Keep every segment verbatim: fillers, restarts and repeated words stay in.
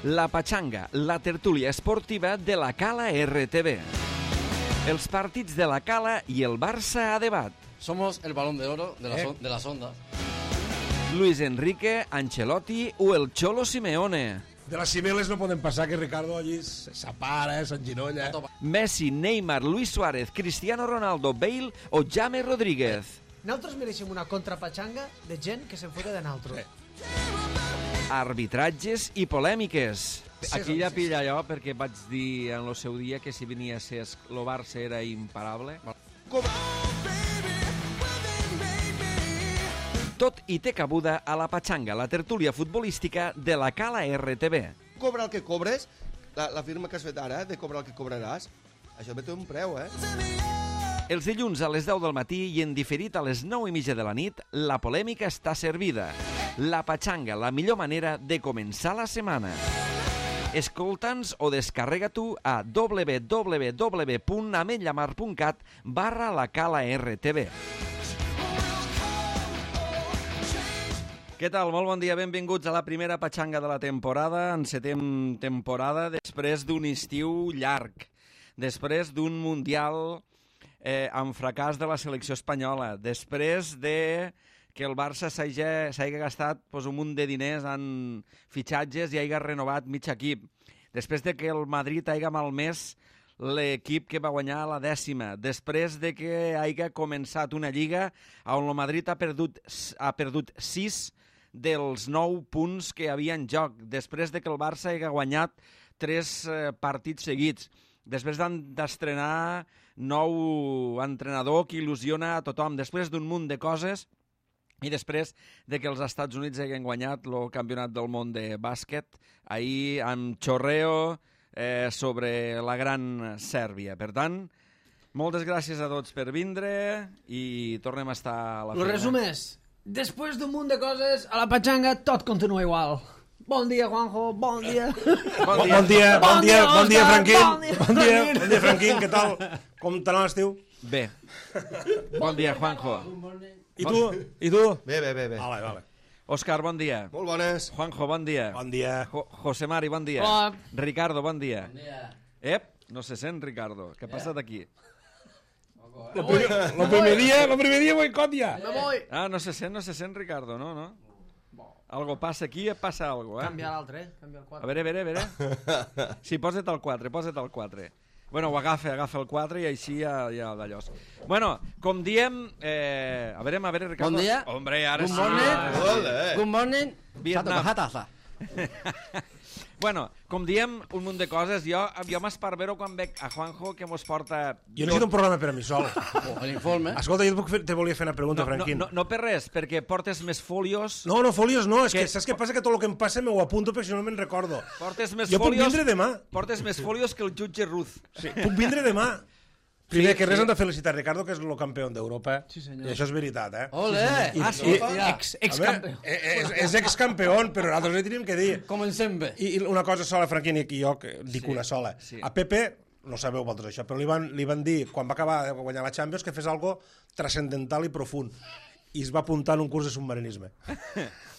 La Pachanga, la tertúlia esportiva de la Cala R T V. Els partits de la Cala i el Barça a debat. Somos el balón de oro de, la ¿Eh? son, de las ondas. Luis Enrique, Ancelotti o el Cholo Simeone. De les cibeles no poden passar que Ricardo allí s'apara, s'enginolla. Messi, Neymar, Luis Suárez, Cristiano Ronaldo, Bale o James Rodríguez. Nosaltres mereixem una contrapatxanga de gent que se'n fota de naltros. Sí. Arbitratges i polèmiques. Aquí ja pilla allò perquè vaig dir en el seu dia que si venia a ser el Barça era imparable. Tot i té cabuda a la Pachanga, la tertúlia futbolística de la Cala R T V. Cobra el que cobres, la, la firma que has fet ara, de cobrar el que cobraràs, això té un preu, eh? Els dilluns a les deu del matí i en diferit a les nou i mitja de la nit, la polèmica està servida. La Pachanga, la millor manera de començar la setmana. Escolta'ns o descarrega tu a w w w punt ametlla mar punt cat barra la Cala R T V. Què tal? Molt bon dia, benvinguts a la primera Pachanga de la temporada. Encetem temporada després d'un estiu llarg, després d'un mundial eh, amb fracàs de la selecció espanyola, després de que el Barça s'hagi gastat pues, un munt de diners en fitxatges i hagi renovat mig equip, després de que el Madrid hagi malmès l'equip que va guanyar la dècima, després de que hagi començat una lliga on el Madrid ha perdut, ha perdut sis dels nou punts que hi havia en joc, després de que el Barça hagi guanyat tres eh, partits seguits, després d'estrenar nou entrenador que il·lusiona a tothom, després d'un munt de coses i després de que els Estats Units hagin guanyat el campionat del món de bàsquet ahir amb xorreo eh, sobre la gran Sèrbia. Per tant, moltes gràcies a tots per vindre i tornem a estar a la Lo feina. resum és, després d'un munt de coses, a la pachanga tot continua igual. Bon dia, Juanjo, bon dia. Bon Bon dia, bon dia, bon dia, Franquín. Bon dia, Bon dia, bon dia, Franquín, què tal? Com t'anà l'estiu? Bé. Bon dia, Juanjo. I tu? I tu? Bé, bé, bé, bé. Vale, vale. Òscar, bon dia. Molt bones. Juanjo, bon dia. Bon dia. Jo José Mari, bon dia. Hola. Ricardo, bon dia. Bon dia. Ep, no se sent, Ricardo. Què ha passat aquí? Lo primer, lo primer dia, lo primer dia boicot ja. Me voy. Ah, no se sent, no se sent, Ricardo, no, no? Algo passa aquí, passa algo, eh? Canvia l'altre, eh? Canvia el A quatre. veure, a veure, a veure. Sí, posa't el quatre, posa't el quatre. Bueno, ho agafa, agafa el quatre i així ja, ja d'allò. Bueno, com diem... Eh, a veure, a veure, Ricardo. Bon dia. Hombre, ara Good sí. morning. Ole. Good morning. Vietnam. Hataza. Bueno, com diem, un munt de coses. Jo, jo m'esparvero quan veig a Juanjo que mos porta... Jo necessito un programa per a mi sol. Oh, l'informe. Escolta, jo et puc fer- te volia fer una pregunta, No, no, Franquín. no, no per res, perquè portes més fòlios... No, no, fòlios no, és Que- que saps què passa? Que tot el que em passa m'ho apunto perquè si no me'n recordo. Portes més Jo puc fòlios... vindre demà. Portes més fòlios que el jutge Ruth. Sí. Puc vindre demà. Primer, Sí, que res sí. hem de felicitar Ricardo, que és el campió d'Europa. Sí, senyor. I això és veritat, eh? Ole. I- Ah, i- Ex, ex A veure, campió. eh, és, és excampió, però nosaltres li tenim que dir. Comencem bé. I, I una cosa sola, Franquín, i jo que dic Sí, una sola. sí. A Pepe, no sabeu vosaltres això, però li van, li van dir, quan va acabar de guanyar la Champions, que fes algo transcendental i profund. I es va apuntar en un curs de submarinisme.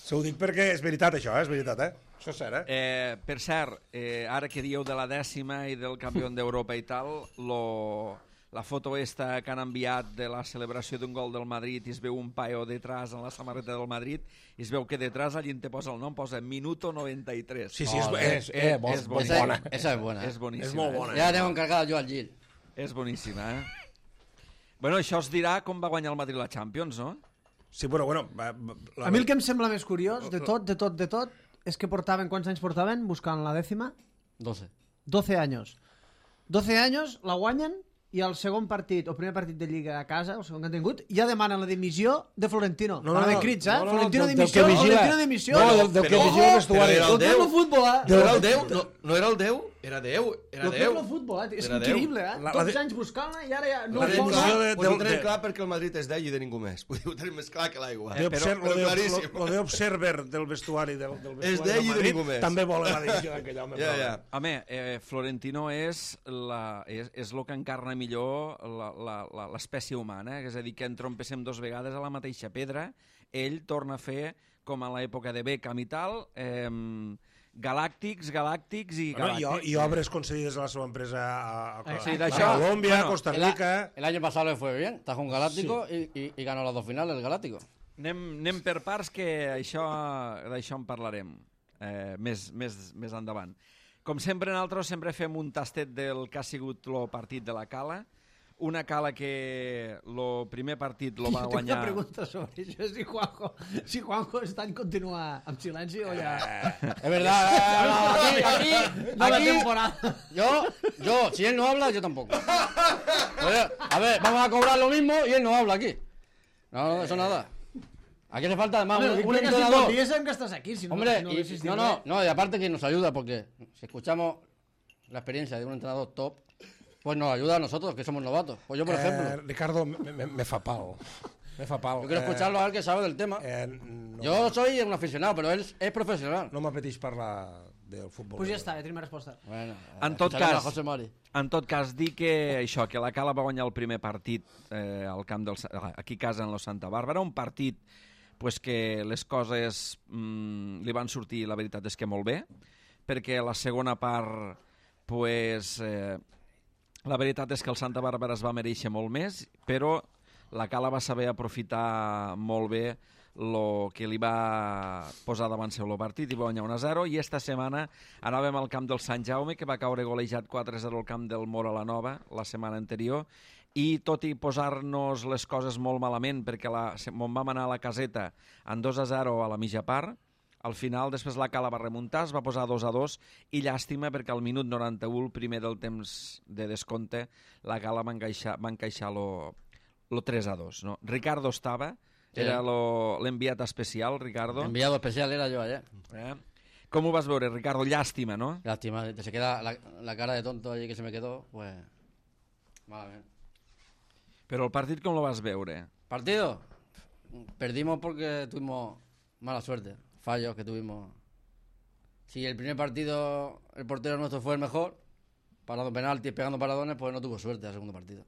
Se ho dic perquè és veritat, això, eh? És veritat, eh? Això és cert, eh? Eh, per cert, eh, ara que dieu de la dècima i del campió d'Europa i tal, lo, la foto esta que han enviat de la celebració d'un gol del Madrid i es veu un paio detrás en la samarreta del Madrid i es veu que detrás allí te posa el nom, posa Minuto noranta-tres. Sí, sí, és, Ole. és, eh, Eh, bo, és és boníssim. bona. Esa es buena. És boníssima. És molt eh? bona. Ja aneu encarregat jo al Gil. És boníssima, eh? Bueno, això es dirà com va guanyar el Madrid la Champions, no? Sí, bueno, bueno... va- va- La... A mi el que em sembla més curiós, de tot, de tot, de tot, és que portaven, quants anys portaven buscant la dècima? doce. doce años. doce años, la guanyen, i el segon partit, o primer partit de Lliga a casa, el segon que han tingut, ja demanen la dimissió de Florentino. No, no, Van haver no, crits, eh? no, no, no, Florentino del- del dimissió, que vigila. Florentino dimissió. No, del- del que Ojo, vigila el vestuari. Però era el Lo que és Déu. el futbol, eh? No era el Déu? No, no era el Déu? Era Déu. Era Lo que és Déu. el futbol, eh? És Era Déu. increïble, eh? La- la Tots de- els anys buscant-la i ara ja no La ho dimissió posa. de- Pues ho del- tenim de- clar perquè el Madrid és d'ell i de ningú més. Vull dir, ho tenim més clar que l'aigua. Lo però- d'obser- però lo de- claríssim. lo- lo d'observer del vestuari del, del vestuari És d'ell i de Madrid ningú més. també volen la dimissió d'aquell home. Ja, però- ja. Home, eh, Florentino és, la, és, és el que encarna millor la- la- la- l'espècie humana, eh? És a dir, que en trompéssim dos vegades a la mateixa pedra, ell torna a fer, com a l'època de Beckham i tal, eh, galàctics, galàctics i Bueno, galàctics. y, y obres concedidas a la seva empresa a, a, a, Sí, a d'això, Colombia, bueno, Costa El, a- Rica... el año pasado le fue bien, está con Galáctico y, y, y ganó las dos finales el Galáctico. Anem, anem per parts, que això d'això en parlarem eh, més, més, més endavant. Com sempre, nosaltres sempre fem un tastet del que ha sigut el partit de la Cala. Una Cala que el primer partit lo va Jo tinc guanyar... una pregunta sobre això, si Juanjo, si Juanjo està en continuar amb silenci o ja... Es verdad, eh, no, aquí, aquí, No la aquí, temporada. yo, yo, si él no habla, yo tampoco. Oye, a ver, vamos a cobrar lo mismo y él no habla aquí. No, no, eso nada. Aquí hace falta además Hombre, un, un implica si entrenador. tot dia sabem que estàs aquí, si no, Hombre, si no y- haguessis dit no, no, res. no, y aparte que nos ayuda porque si escuchamos la experiencia de un entrenador top, pues nos ayuda a nosotros, que somos novatos. Pues yo, por Eh, ejemplo, Ricardo, me, me, me fa pal. Me fa pal. yo quiero escucharlo a él que sabe del tema. Eh, no, Yo soy un aficionado, pero él es profesional. no m'apeteix parlar del futbol. Pues ja està, ja tenim la resposta. Bueno, En tot escucharemos cas- a José Mari. En tot cas, dir que això, que la Cala va guanyar el primer partit eh, al camp del, Sa- aquí a casa en la Santa Bàrbara, un partit pues, que les coses mm, li van sortir, la veritat és que molt bé, perquè la segona part, pues, eh, la veritat és que el Santa Bàrbara es va mereixer molt més, però la Cala va saber aprofitar molt bé el que li va posar davant seu el partit i va guanyar un a zero, i esta setmana anàvem al camp del Sant Jaume, que va caure golejat quatre a zero al camp del Mora la Nova la setmana anterior, i tot i posar-nos les coses molt malament, perquè la, on vam anar a la caseta en dos a zero a la mitja part, al final després la Cala va remuntar, es va posar dos a dos, i llàstima perquè al minut noranta-u, el primer del temps de descompte, la Cala va encaixar, va encaixar lo, lo tres a dos. No? Ricardo estava, Sí. era lo- l'enviat especial, Ricardo. Enviado especial era yo ayer. Eh? Com ho vas veure, Ricardo? Llàstima, no? Lástima, se queda la, la cara de tonto allí que se me quedó, pues... Malamente. Però el partit com lo vas veure? ¿Partido? Perdimos porque tuvimos mala suerte, fallos que tuvimos. Si el primer partido el portero nuestro fue el mejor, parando penaltis, pegando paradones, pues no tuvo suerte el segundo partido.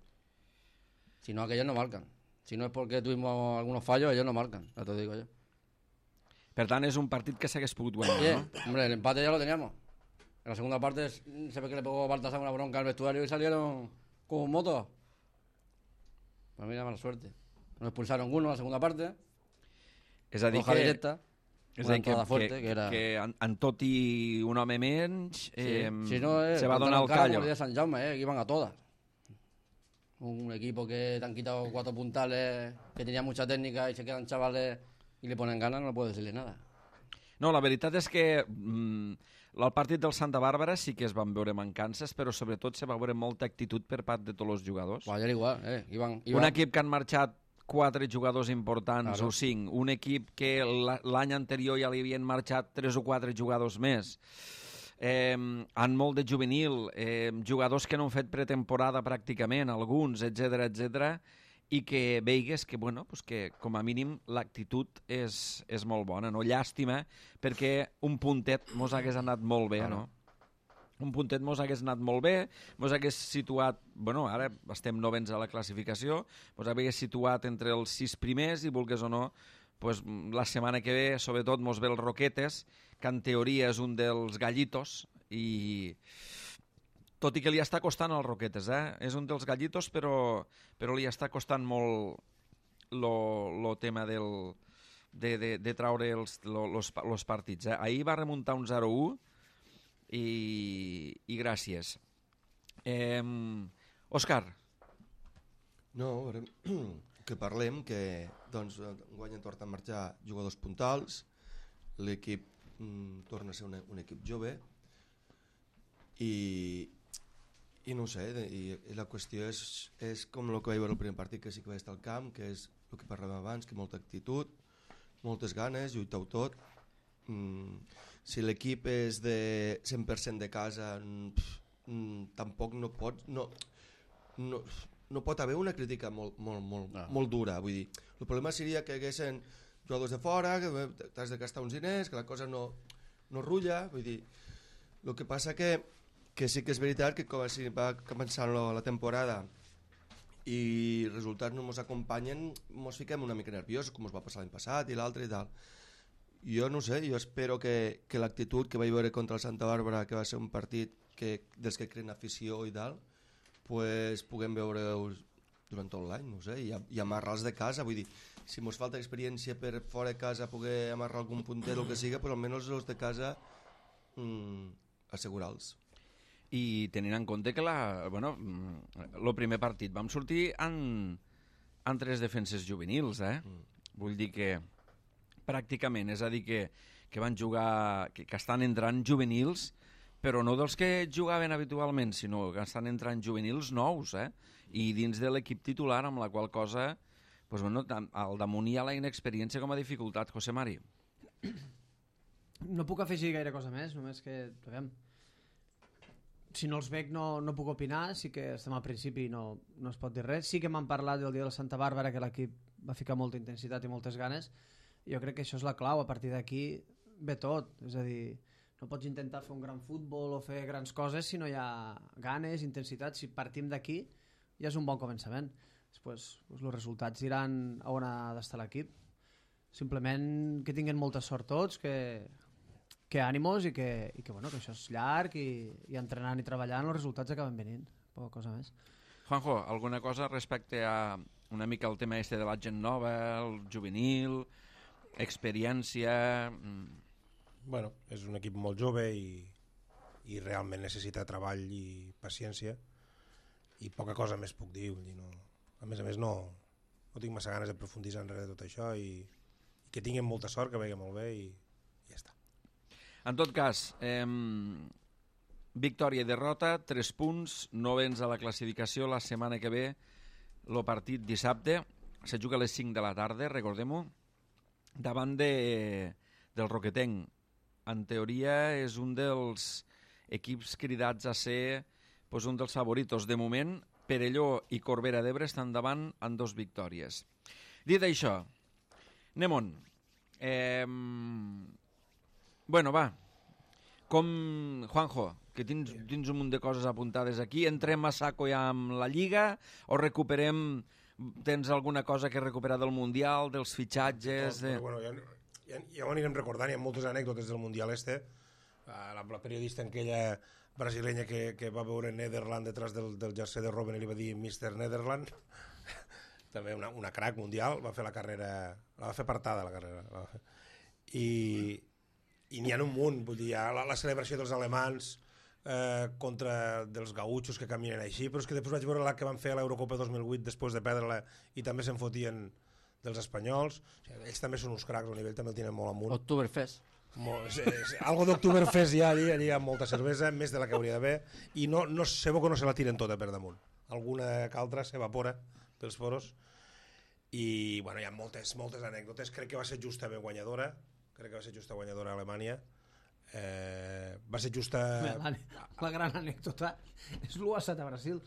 Si no, aquellos no marcan. Si no es porque tuvimos algunos fallos, ellos no marcan, ya te lo digo yo. Per tant, és un partit que s'hagués pogut guanyar, Oye, no? hombre, el empate ya lo teníamos. En la segunda parte s- se ve que le pegó Baltasar una bronca al vestuario y salieron como motos. Pues mira, mala suerte. Nos expulsaron uno en la segunda parte, És a dir, roja que, directa, és una a dir que, entrada fuerte, que, que era... que en, en tot i un home menys, eh, Sí, si no, eh, se va contra donar el cara, callo. como el día de San Jaume, eh, que iban a todas. Un equipo que te han quitado cuatro puntales, que tenía mucha técnica y se quedan chavales y le ponen ganas, no puedo decirle nada. No, la veritat és que mm, el partit del Santa Bàrbara sí que es van veure mancances, però sobretot se va veure molta actitud per part de tots els jugadors. Pues ayer igual, eh, iban, iban... Un equip que han marxat quatre jugadors importants, Claro. o cinc. Un equip que la- l'any anterior ja li havien marxat tres o quatre jugadors més. Eh, en molt de juvenil, eh, jugadors que no han fet pretemporada pràcticament, alguns, etcètera, etcètera, i que veigues que, bueno, pues que com a mínim l'actitud és, és molt bona, no? Llàstima, perquè un puntet mos hagués anat molt bé, no? Un puntet mos hagués anat molt bé, mos hagués situat, bueno, ara estem novens a la classificació, mos hagués situat entre els sis primers i, vulgues o no, pues, la setmana que ve, sobretot, mos ve el Roquetes, que en teoria és un dels gallitos, i tot i que li està costant els Roquetes, eh? És un dels gallitos, però, però li està costant molt lo, lo tema del, de, de, de traure els lo, los, los partits. Eh? Ahir va remuntar un zero a u, i, i gràcies. Eh, Òscar, No, a veure, que parlem que doncs, guanyen torna a marxar jugadors puntals, l'equip mm, torna a ser un, un equip jove i, i no ho sé, de- i, i la qüestió és, és com el que vaig veure el primer partit, que sí que vaig estar al camp, que és el que parlàvem abans, que molta actitud, moltes ganes, lluitar-ho tot. Mm, si l'equip és de cent per cent de casa, mm, pf, mm, tampoc no pots... No, no, no pot haver una crítica molt, molt, molt, No. molt dura, vull dir, el problema seria que hi haguessin jugadors de fora, que t'has de gastar uns diners, que la cosa no, no rulla, vull dir, el que passa que, que sí que és veritat que com si va començant la, la temporada i resultats no ens acompanyen, ens fiquem una mica nerviosos, com ens va passar l'any passat i l'altre i tal. Jo no sé, jo espero que, que l'actitud que vaig veure contra el Santa Bàrbara, que va ser un partit que, dels que creen afició i tal, pues, puguem veure-us durant tot l'any, no sé, i, i amarrar-los de casa, vull dir, si ens falta experiència per fora de casa poder amarrar algun puntet o el que siga, però almenys els de casa mm, assegurar-los. I tenint en compte que la, bueno, el primer partit vam sortir en, en tres defenses juvenils, eh? Mm. Vull dir que pràcticament, és a dir, que, que van jugar, que, que estan entrant juvenils, però no dels que jugaven habitualment, sinó que estan entrant juvenils nous, eh? I dins de l'equip titular, amb la qual cosa, pues, bueno, al damunt hi ha la inexperiència com a dificultat, José Mari. No puc afegir gaire cosa més, només que, aviam, si no els veig no, no puc opinar, sí que estem al principi i no, no es pot dir res. Sí que m'han parlat del dia de Santa Bàrbara, que l'equip va ficar molta intensitat i moltes ganes. Jo crec que això és la clau, a partir d'aquí ve tot, és a dir, no pots intentar fer un gran futbol o fer grans coses si no hi ha ganes, intensitat. Si partim d'aquí ja és un bon començament. Després doncs, els resultats diran a on ha d'estar l'equip. Simplement que tinguin molta sort tots, que, que ànimos i que, i que, bueno, que això és llarg i, i entrenant i treballant els resultats acaben venint, poca cosa més. Juanjo, alguna cosa respecte a una mica el tema este de la gent nova, el juvenil, experiència... Bueno, és un equip molt jove i, i realment necessita treball i paciència i poca cosa més puc dir, no, a més a més no, no tinc massa ganes de profunditzar enrere de tot això i, i que tinguin molta sort, que vagi molt bé i, i ja està. En tot cas, eh, victòria i derrota, tres punts, novens a la classificació. La setmana que ve el partit dissabte se juga a les cinc de la tarda, recordem-ho, davant de, del Roquetenc. En teoria és un dels equips cridats a ser pues, un dels favoritos. De moment, Perelló i Corbera d'Ebre estan davant en dos victòries. Dit això, anem on? Eh, bueno, va. Com, Juanjo, que tens, tens un munt de coses apuntades aquí, entrem a saco ja amb la Lliga o recuperem... Tens alguna cosa que recuperar del Mundial, dels fitxatges... De... Bueno, ja, ja, ja ho anirem recordant, hi ha moltes anècdotes del Mundial este. La, la periodista aquella brasilenya que, que va veure Nederland detrás del, del jersei de Robben i li va dir mister Nederland. També una, una crack mundial, va fer la carrera, la va fer apartada la carrera. I, i n'hi ha un munt, vull dir, la, la celebració dels alemans eh, contra dels gautxos que caminen així, però és que després vaig veure la que van fer a l'Eurocopa dos mil vuit després de perdre-la i també se'n fotien dels espanyols. O sigui, ells també són uns cracs, el nivell també el tenen molt amunt. Oktoberfest. Molt, és, és, algo d'Oktoberfest hi ha allí, allí hi ha molta cervesa, més de la que hauria d'haver, i no, no, sebo que no se la tiren tota per damunt. Alguna que altra s'evapora pels foros. I bueno, hi ha moltes, moltes anècdotes. Crec que va ser justa ben guanyadora, crec que va ser justa guanyadora a Alemanya. Eh, va ser justa... La, la gran anècdota és l'u a set a Brasil.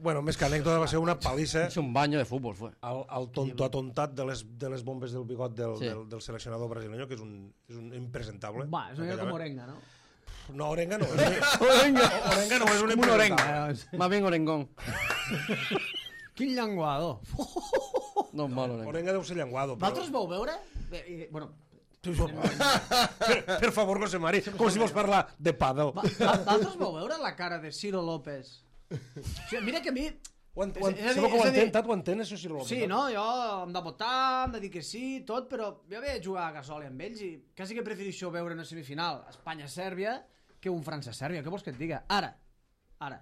Bueno, més que anècdota va ser una palissa. És un baño de futbol, fue. El, el tonto atontat de les, de les bombes del bigot del, sí. del, del seleccionador brasileño, que és un, és un impresentable. Va, és una mica com Orenga, no? No, Orenga no. És Orenga. Orenga no és un impresentable. Más bien Orengón. Quin llenguado. No és mal, Orenga. Orenga deu ser llenguado. Però... Vosaltres vau veure? Bé, i, bueno... per, per favor, José Mari, com si vols parlar de pàdel. Vosaltres vau veure la cara de Ciro López? O sigui, mira que a mi... Ho ent, ho ent, és, és, que ho entén, tant ho entén, això, Ciro López. Sí, no? Jo em de votar, em de dir que sí, tot, però jo vaig jugar a Gasol amb ells i quasi que prefereixo veure una semifinal Espanya-Sèrbia que un França-Sèrbia. Què vols que et diga? Ara, ara.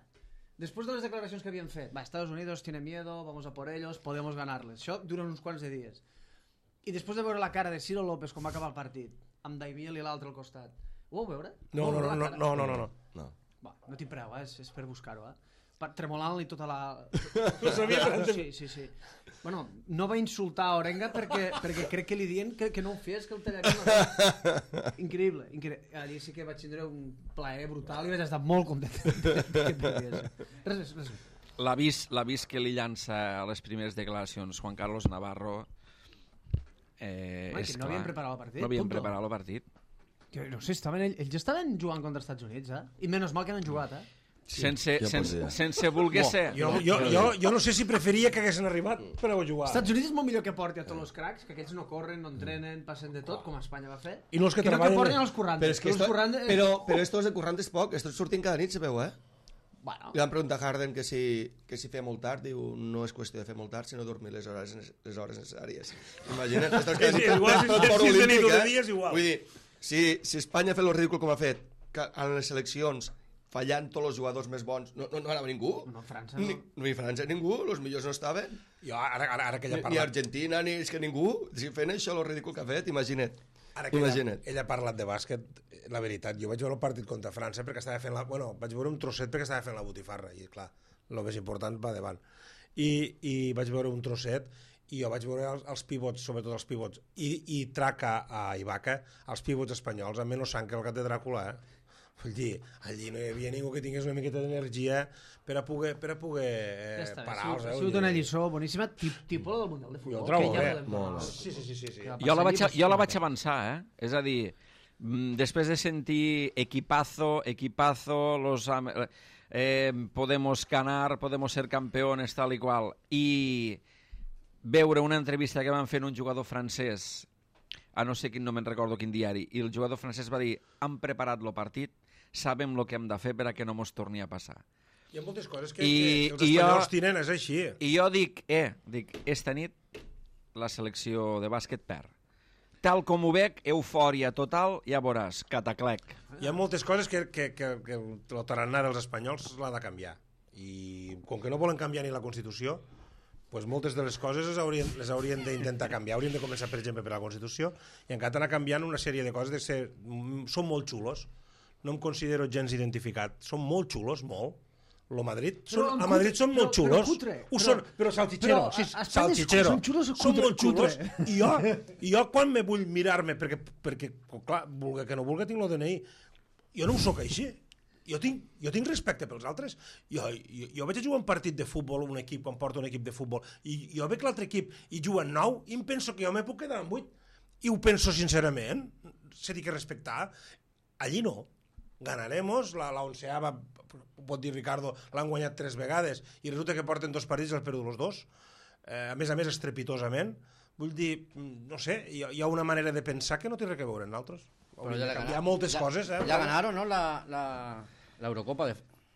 Després de les declaracions que havien fet, va, Estados Unidos tiene miedo, vamos a por ellos, podemos ganarles. Això dura uns quants de dies. I després de veure la cara de Ciro López com va acabar el partit, amb Daimiel i l'altre al costat, ho vau veure? No, no, no, no, no, no, no, no. Va, no t'hi preu, eh? és, és per buscar-ho, eh? Tremolant-li tota la... No sabia que... Sí, sí, sí. Bueno, no va insultar a Orenga perquè, perquè crec que li diuen que, que no ho fes, que el tallaria. Increïble, increïble. Allí sí que vaig tindre un plaer brutal i vaig estar molt content d'aquest dia. Res més, res més. L'avís que li llança a les primeres declaracions Juan Carlos Navarro eh, Home, és no clar. havien preparat el partit. No havien punto. preparat el partit. Jo no sé, estaven, ells ja estaven jugant contra els Estats Units, eh? I menys mal que no han jugat, eh? sense, ja sense, podria. sense voler No, ser. jo, jo, jo, jo no sé si preferia que haguessin arribat per a jugar. Els Estats Units és molt millor que porti a tots els cracs, que aquests no corren, no entrenen, passen de tot, com Espanya va fer. I no els que no que treballen- porten els currantes. Però, és que els esto, currantes... però, però estos de currant és poc, estos surtin cada nit, sabeu, eh? Bueno, Li van preguntar a Harden que si, que si feia molt tard, diu, no és qüestió de fer molt tard, sinó dormir les hores, les hores necessàries. Imagina't, estos cada És nit igual, si tot és fora sis de nit olímpic, o de eh? dia, és igual. Vull dir, si, si Espanya ha fet el ridícul com ha fet, que en les seleccions fallant tots els jugadors més bons, no, no, no anava ningú. no, França no. Ni, ni França ningú, els millors no estaven. Jo, ara, ara, ara que ella Ni, ha ni parlat, Argentina, ni és que ningú. Si fent això, el ridícul que ha fet, imagina't. ara que ella, Imagina't. ella ha parlat de bàsquet, la veritat, jo vaig veure el partit contra França perquè estava fent la... Bueno, vaig veure un trosset perquè estava fent la botifarra, i clar, el més important va davant. I, i vaig veure un trosset i jo vaig veure els, els pivots, sobretot els pivots, i, i traca a Ibaka, els pivots espanyols, amb menys sang que el gat de Dràcula, eh? Vull dir, allí no hi havia ningú que tingués una miqueta d'energia per a poder, per a poder eh, Ja està, ha parar-los. sigut, Eh? ha sigut una lliçó boníssima, tip, tipus del Mundial de Futbol. Jo ho trobo que ja bé. podem Molt parlar. bé. Sí, sí, sí, sí, sí. Que va Jo la passar vaig, allí, jo la pues, vaig avançar, eh? És a dir, mm, després de sentir equipazo, equipazo, los, am- eh, podemos ganar, podemos ser campeones, tal i qual, i veure una entrevista que van fer en un jugador francès, a no sé quin, no me'n recordo quin diari, i el jugador francès va dir, han preparat el partit, sabem el que hem de fer per a que no mos torni a passar. Hi ha moltes coses que, I- que els i espanyols jo- tenen, és així. I jo dic, eh, dic, esta nit la selecció de bàsquet perd. Tal com ho veig, eufòria total, ja veuràs, cataclec. Hi ha moltes coses que, que, que, que el tarannà dels espanyols l'ha de canviar. I com que no volen canviar ni la Constitució, pues moltes de les coses les haurien, les haurien d'intentar canviar. Haurien de començar, per exemple, per la Constitució, i encara anar canviant una sèrie de coses. De ser, són molt xulos, no em considero gens identificat. Són molt xulos, molt. Lo Madrid, Però són, en a Madrid cutre, són molt però- però xulos. cutre, Ho però- són, però salchichero. però a- Sí, a Espanya salchichero. són xulos o Són cutre- molt xulos. cutre? I jo, i jo quan me vull mirar-me, perquè, perquè clar, vulgui que no vulgui, tinc el D N I, jo no ho sóc així. Jo tinc, jo tinc respecte pels altres. Jo, jo, jo vaig a jugar un partit de futbol, un equip, quan porto un equip de futbol, i jo veig l'altre equip i juguen nou, i em penso que jo me puc quedar amb vuit. I ho penso sincerament. Se dic que respectar. Allí no. Ganaremos, la, la onceava, ho pot dir Ricardo, l'han guanyat tres vegades, i resulta que porten dos partits i els perdut els dos. Eh, a més a més, estrepitosament. Vull dir, no sé, hi ha, hi ha una manera de pensar que no té res a veure amb nosaltres. Pero ya le Hi ha ganaron. moltes Ya- coses, eh? Ya ganaron, ¿no? La, la, la Eurocopa de,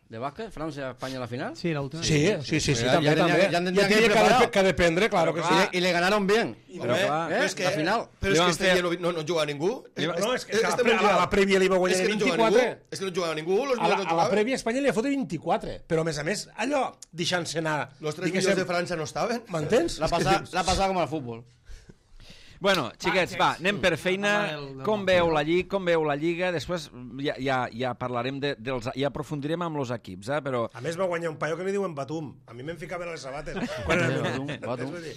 de básquet, Francia-España en la final. Sí, l'última. Sí, sí, sí, sí, Ya- també, ya tendría també. que- ya tendría Ja que tenia ir que, preparado. que dependre, claro que Y sí. le, y le ganaron bien. Però, clar, ¿Eh? Però és que, La final. però Li és van que este fer- dia no, no, no juga ningú. No, és que Este a la, pre- mundial- a la prèvia li va guanyar és que no juga vint-i-quatre. ningú, és que no jugava ningú, los A la, millors no a la jugaven. prèvia Espanya li ha fotut vint-i-quatre, però a més a més, allò, deixant-se anar. Los tres diguéssim, millors de França no estaven. M'entens? La pasa, la pasada como al fútbol. Bueno, xiquets, va, anem per feina. Parlar del- del Com Montpellier. veu la Lliga, com veu la Lliga? Després ja, ja, ja parlarem de, dels... Ja aprofundirem amb els equips, eh? Però A més va guanyar un paio que li diuen Batum. A mi me'n ficaven a les sabates. Quan era meu? Batum, Batum. Vull dir,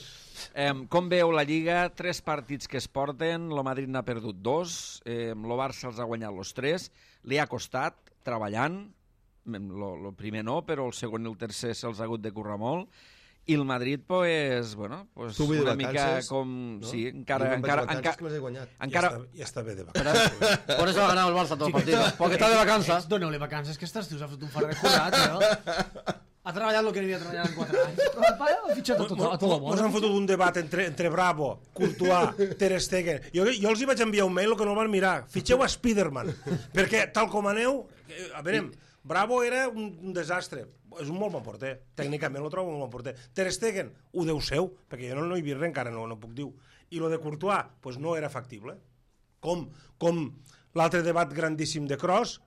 eh, com veu la Lliga? Tres partits que es porten, el Madrid n'ha perdut dos, eh, el Barça els ha guanyat els tres, li ha costat, treballant, el primer no, però el segon i el tercer se'ls ha hagut de currar molt, i el Madrid, pues, bueno, pues Tu vull dir una mica vacances, com... no? Sí, Jo encara... me'n vaig encara, de vacances encara, que les he guanyat. encara, ja, està, ja està bé de vacances. Por eso ha ganado el Barça todos los partidos. Porque está de vacances. Doneu-li vacances, que estàs, us ha fet un far de curat, eh? Ha treballat el que havia treballat en quatre anys. Però el paio ha fitxat a tot, a tot el Ens han món. fotut un debat entre, entre Bravo, Courtois, Ter Stegen. Jo, jo els hi vaig enviar un mail, el que no el van mirar. Fitxeu a Spiderman. Perquè, tal com aneu... eh, A veure, Bravo era un, un desastre. És un molt bon porter. Tècnicament lo trobo un bon porter. Ter Stegen, ho deu seu, perquè jo no, no he vist res encara, no, no puc dir. I lo de Courtois, pues no era factible. Com, com l'altre debat grandíssim de Kroos,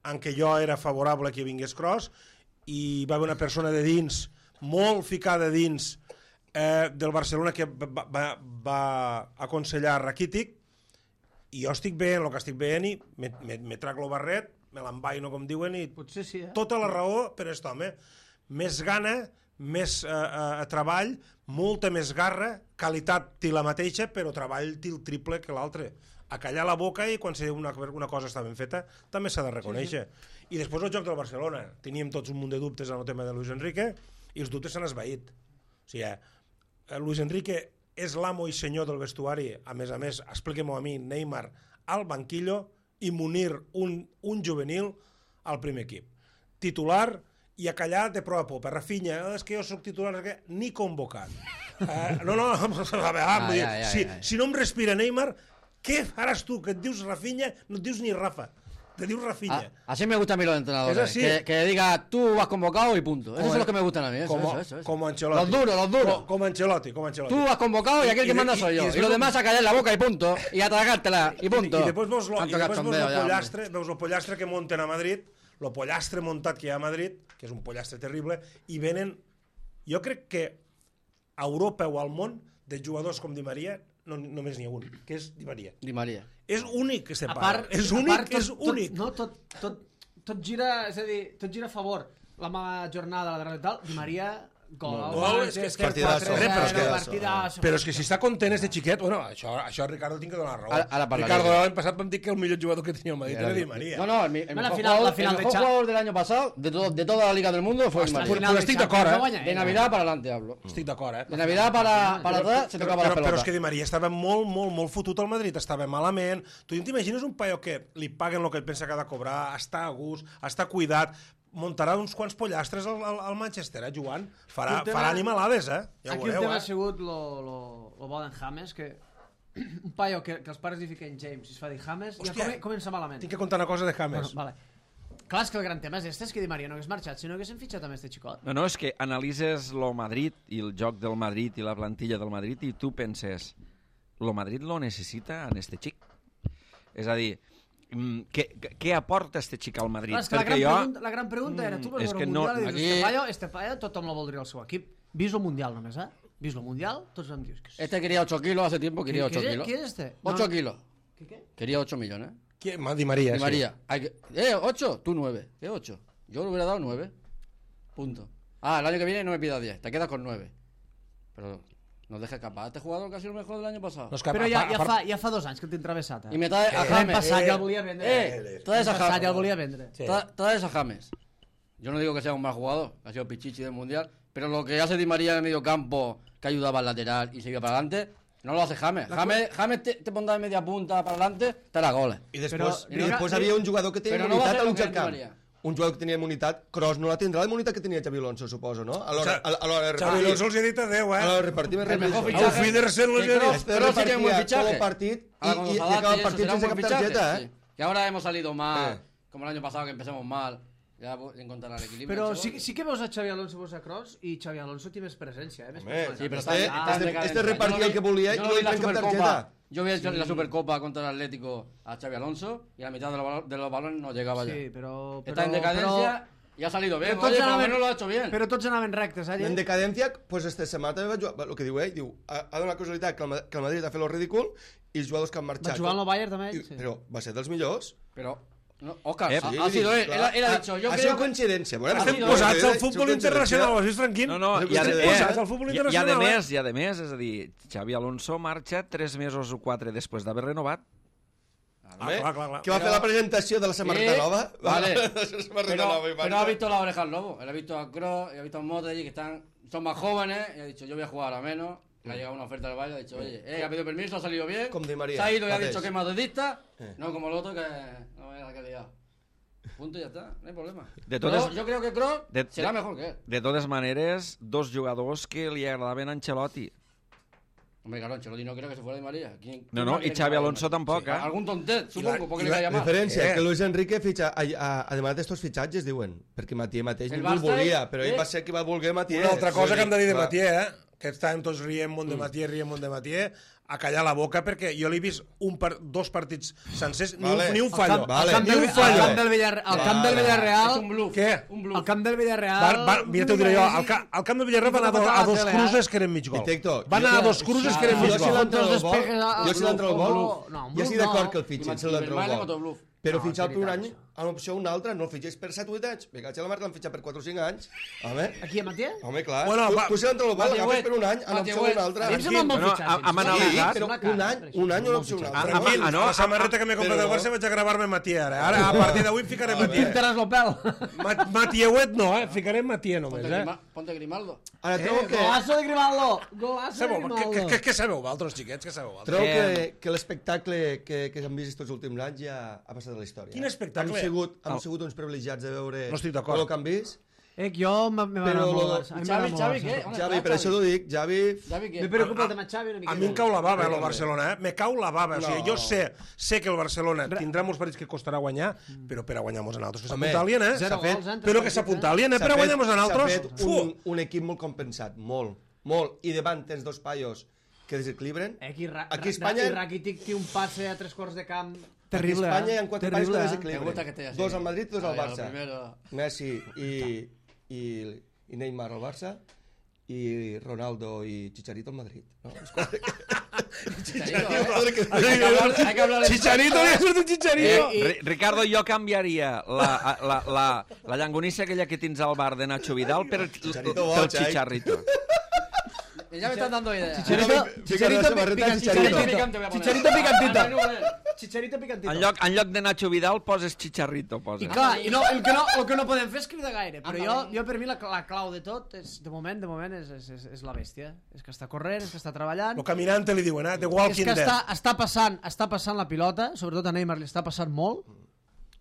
en què jo era favorable que vingués Kroos, i va haver una persona de dins, molt ficada dins, eh, del Barcelona, que va, va, va aconsellar Rakitic, i jo estic veient el que estic veient i me, me, me trac lo barret, me l'envaino, com diuen, i Potser sí, eh? tota la raó per aquest home. Més gana, més eh, eh, treball, molta més garra, qualitat té la mateixa, però treball té el triple que l'altre. A callar la boca i quan una, una cosa està ben feta també s'ha de reconèixer. Sí, sí. I després el joc del Barcelona. Teníem tots un munt de dubtes en el tema de Luis Enrique i els dubtes s'han esvaït. O sigui, eh, Luis Enrique és l'amo i senyor del vestuari. A més a més, expliquem-ho a mi, Neymar al banquillo i Munir, un, un juvenil, al primer equip. titular i a callar de prou a por. Per Rafinha, oh, és que jo soc titular, que ni convocat. Eh, no, no, a veure, ah, dir, ja, ja, si, ja, ja. si no em respira Neymar, què faràs tu, que et dius Rafinha, no et dius ni Rafa, te dius Rafinha. Ah, así me gustan a mí los entrenadores, que, que diga tú has convocado y punto. Eso es lo que me gustan a mí. Eso, como, eso, eso, eso. como Ancelotti. Los duros, los duros. Como, como Ancelotti, como Ancelotti. Tú has convocado y aquel y, que y manda de, soy yo. Y, y, y los demás a callar la boca y punto. Y a tragártela y punto. I, i després veus lo, i després veus lo ja, pollastre, veus el pollastre que munten a Madrid, lo pollastre muntat que hi ha a Madrid, que és un pollastre terrible, i venen... Jo crec que a Europa o al món, de jugadors com Di Maria, no, només n'hi ha un, que és Di Maria. Di Maria. És únic que se A para. part, és a únic, part, tot, és únic. Tot, no, tot, tot, tot gira, és a dir, tot gira a favor. La mala jornada, la darrera i tal, Di Maria, gol, No, gol, és que- és que partidazo. Però és que- partidazo. Però és que si està content este xiquet, bueno, això, això Ricardo tinc que donar raó. Ara- ara parlaré. Ricardo l'any passat vam dir que el millor jugador que tenia el Madrid era Di Maria. No, no, el, el No, la mejor, final- jugador, la final el de mejor Cha- jugador del año pasado, de, todo, de toda la liga del mundo, fue Di Hasta Maria. final de estic Champions d'acord, no guanya De ell. Navidad para adelante hablo. Estic d'acord, eh? De Navidad para, para atrás se tocaba però, la pelota. però és que Di Maria estava molt, molt, molt fotut al Madrid, estava malament. Tu t'imagines un paio que li paguen el que ell pensa que ha de cobrar, està a gust, està cuidat, muntarà uns quants pollastres al, al, al Manchester, eh, jugant. Farà, Aquí el tema- farà animalades, eh? Ja ho Aquí el veureu, tema eh? ha sigut lo, lo, lo bo d'en James, que un paio que, que els pares li fiquen James i es fa dir James, ja Hòstia, come, comença malament. Tinc que contar una cosa de James. Bueno, vale. Clar, és que el gran tema és este, és que Di Maria no hagués marxat, sinó que s'han fitxat amb este xicot. No, no, és que analitzes lo Madrid i el joc del Madrid i la plantilla del Madrid i tu penses, lo Madrid lo necessita en este xic. És a dir, mm, què, què aporta este xic al Madrid? Clar, és que la gran, jo... pregunta, la gran pregunta era, tu vols és veure que el no- Mundial i dius, aquí- este paio, este paio tothom lo voldria al seu equip. Vist el Mundial només, eh? Vist el Mundial, tots em dius... Que... Este quería ocho kilos hace tiempo, quería ocho ¿Qué- kilos. ¿Quién es este? ocho No. kilos. ¿Qué, qué? Quería ocho millones. Qui? Ma- Di Maria, Di sí. María. Hay que... Eh, ocho, tú nueve. ¿Qué ocho? Yo le hubiera dado nueve. Punto. Ah, el año que viene no me pidas diez, te quedas con nueve. Pero no dejes escapar a este jugador que ha sido el mejor del año pasado. No, és que, Però a ja, part- ja, a part- fa, ja fa dos anys que el té travessat. Eh? Y me trae a L'any James. passat eh, ja el volia vendre. Eh, traes a L'any passat James. ja el volia vendre. Sí. Tra- Traes a James. Yo no digo que sea un mal jugador, que ha sido Pichichi del Mundial, pero lo que hace Di María en el medio campo, que ayudaba al lateral y se iba para adelante, no lo hace James. James, James te, te pondrà de media punta para adelante, te la goles. I després, Però- i després però- havia un jugador que tenia Però no va immunitat fer a el mig que del camp. Maria. Un jugador que tenia immunitat, Kroos no la tindrà la immunitat que tenia Xavi Alonso, suposo, no? A l'hora Xa- a l'hora de Xavi repartir. Alonso els hi ha dit adeu, A l'hora de eh? repartir més El mejor recursos. fichaje. Auf Wiedersehen, los Que he dit. Kroos- Este Kroos sí que es un buen repartia tot fichaje. el partit i, Ahora, cuando i, se i adapte acaba el y eso, partit será un sense buen cap fichaje, targeta, sí. eh? Que ahora hemos salido mal, Eh. como el año pasado que empezamos mal, ya encontrará el equilibrio. Però el sí, chaval. sí que veus a Xavi Alonso veus a Kroos i Xavi Alonso té més presència, eh? Més Home, personalitat. Sí, pero Este- está, está en este- decadencia. este repartía Yo no el que vi- volía y yo no no le vi la traen cap Supercopa. tarjeta. Yo vi el- la Supercopa contra el Atlético a Xavi Alonso y a la mitad de los, balo- de los balones no llegaba ya. Sí, però... però Está en decadencia Però, y ha salido bien. però tots Oye, por lo anaven- menos lo ha hecho bien. Però tots anaven rectes, eh? En decadència, pues este setmana també va jugar, el que diu ell, diu, ha, ha donat casualitat que el, Ma- que el Madrid ha fet el ridícul i els jugadors que han marxat... Va jugar al Bayern també, I- ell? Sí. Però va ser dels millors. Pero, no, Oscar, Eh, ha, Sí, ha sido él. Él, clar. él ha Ha- dicho, yo ha creo sido que... coincidència. Bueno, Estem ha Estem sido posats al coincidència, futbol coincidència. internacional, ho has vist, tranquil? No, no, És i a, que eh, posats al futbol i, i a internacional, de eh? més, i a de més, és a dir, Xavi Alonso marxa tres mesos o quatre després d'haver renovat. Ah, clar, clar, clar. Que va fer la presentació de la samarreta Eh, nova. vale. De la samarreta Pero, nova i pero marxa. ha visto la oreja al lobo. Él ha visto a Kroos y ha visto a Modric que están, son más jóvenes y ha dicho, yo voy a jugar a menos. Le ha llegado una oferta del Bayern, ha dicho, oye, eh, ha pedido permiso, ha salido bien. Como Di María, Se ha ido y ha mateix. dicho que es madridista. Eh. No como el otro que no me la que ha liado. Punto y ya está, no hay problema. De Pero totes- yo creo que Kroos de- será de- mejor que él. De totes maneres, dos jugadors que li agradaven a Ancelotti. Hombre, claro, Ancelotti no creo que se fuera Di María. ¿Quién- No, quién no, más i quiere que Xavi vaya Di Alonso María? tampoc, eh? Algún tontet, supongo, la- porque i le la cae La mal. diferència Eh. és que Luis Enrique fitxa, a, a, además d'estos fitxatges, diuen, perquè Matié mateix El ningú el Barça, volia, però ell eh? va ser qui va voler Matié. Una altra cosa que hem de dir de Clar. Matié, eh? Que estàvem tots rient molt de Matié, rient molt de Matié, a callar la boca, perquè jo l'he vist un par, dos partits sencers, ni, Vale. un, ni un Al fallo. camp, Vale. al camp, Ni del, un al fallo. camp del Villarreal, al camp del Vale. Villarreal, Es un bluff. Què? Un bluff. al camp del Villarreal... Va, va, mira, t'ho diré jo, al, ca, al camp del Villarreal van a, do, a dos cruces que eren mig gol. I Tecto, Van jo- a dos cruces que eren mig Jo si gol. l'entra el Contra els gol, despejes a- jo si l'entra el un gol, bluff. No, un jo estic bluff d'acord no. que el fitxin, I si l'entra Benzema el otro gol. bluff. Però No, fitxar és per un veritat, any, això. a l'opció un altre, no el fitxes per set o vuit anys. Vinga, a la marca l'han fitxat per quatre o cinc anys. Home, Aquí a Matié? home, clar. Bueno, tu, va- tu si l'entra el gol, Matié l'agafes Huet, per un any, a Matié l'opció Huet. un altre. A mi em sembla un bon Bueno, fitxatge. ha- ha em sembla. anat Sí, amagat. però un any, un any a l'opció un altre. Tranquil, Ah, no, la samarreta que m'he comprat del però- Barça vaig a gravar-me Matié ara. Ara, a partir d'avui ficaré Matié. Pintaràs el pèl. Ma- Matieuet no, eh? Ficaré Matié només, Ponte, eh? Grima- ponte Grimaldo. Ara, trobo que... Golazo de Grimaldo. Golazo de Sabeu, què, què, Grimaldo. què, què sabeu vosaltres, xiquets? Què sabeu vosaltres? Trobo Eh, que, que l'espectacle que, que hem vist tots els últims anys ja ha passat a la història. Quin espectacle? sigut, hem sigut uns privilegiats de veure No estic d'acord. el que han vist. Eh, jo me, me va Però anar molt lo- Barça. A mi Xavi, m'agrada Xavi, molt què? Barça. On Javi, està, per això t'ho dic, Javi... Xavi, què? Me preocupa el tema Xavi una mica. A mi em cau la bava, eh, el També. Barcelona, eh? Me cau la bava. O sigui, No. jo sé, sé que el Barcelona tindrà molts partits que costarà guanyar, però per a guanyar-nos a nosaltres que Home, s'apuntalien, eh? Zero s'ha fet- gols, eh, en tres Però que partits, s'apuntalien, eh? S'ha Per a fet- guanyar-nos a nosaltres. S'ha fet un, un equip molt compensat, molt, molt. I davant tens dos paios que desequilibren. Eh, aquí, ra Aquí a ra- Espanya- i Rakitic té un passe a tres quarts de camp Aquí a terrible, Espanya hi eh? ha quatre Terrible, paios que eh? Me desequilibren. gusta que esté así. Dos al Madrid, dos al Ay, Barça. lo primero. Messi i, i, i Neymar al Barça i Ronaldo i Chicharito al Madrid. No? Els quatre que- Chicharito, ¿eh? Hay que hablar, hay que hablar en- Chicharito, li ha sortit un Chicharito. Eh, Ri- Ricardo, jo canviaria la, la, la, la llangonissa aquella que tens al bar de Nacho Vidal per, Chicharito pel boig, eh? Chicharito. Ya me están dando ideas. Chicharito, Chicharito, Chicharito, Chicharito, picantito. picante voy a poner. Chicharito picantito. Ah, no, Chicharito picantito. En lloc, en lloc de Nacho Vidal poses Chicharito. Poses. I clar, i no, el, que no, el que no podem fer és cridar gaire, però jo, Anda. jo per mi la, la clau de tot, és, de moment, de moment, és, és, és, és la bèstia. És que està corrent, és que està treballant, Lo caminante li diuen, eh? The és Walking que està, Dead. està, passant, està passant la pilota, sobretot a Neymar li està passant molt,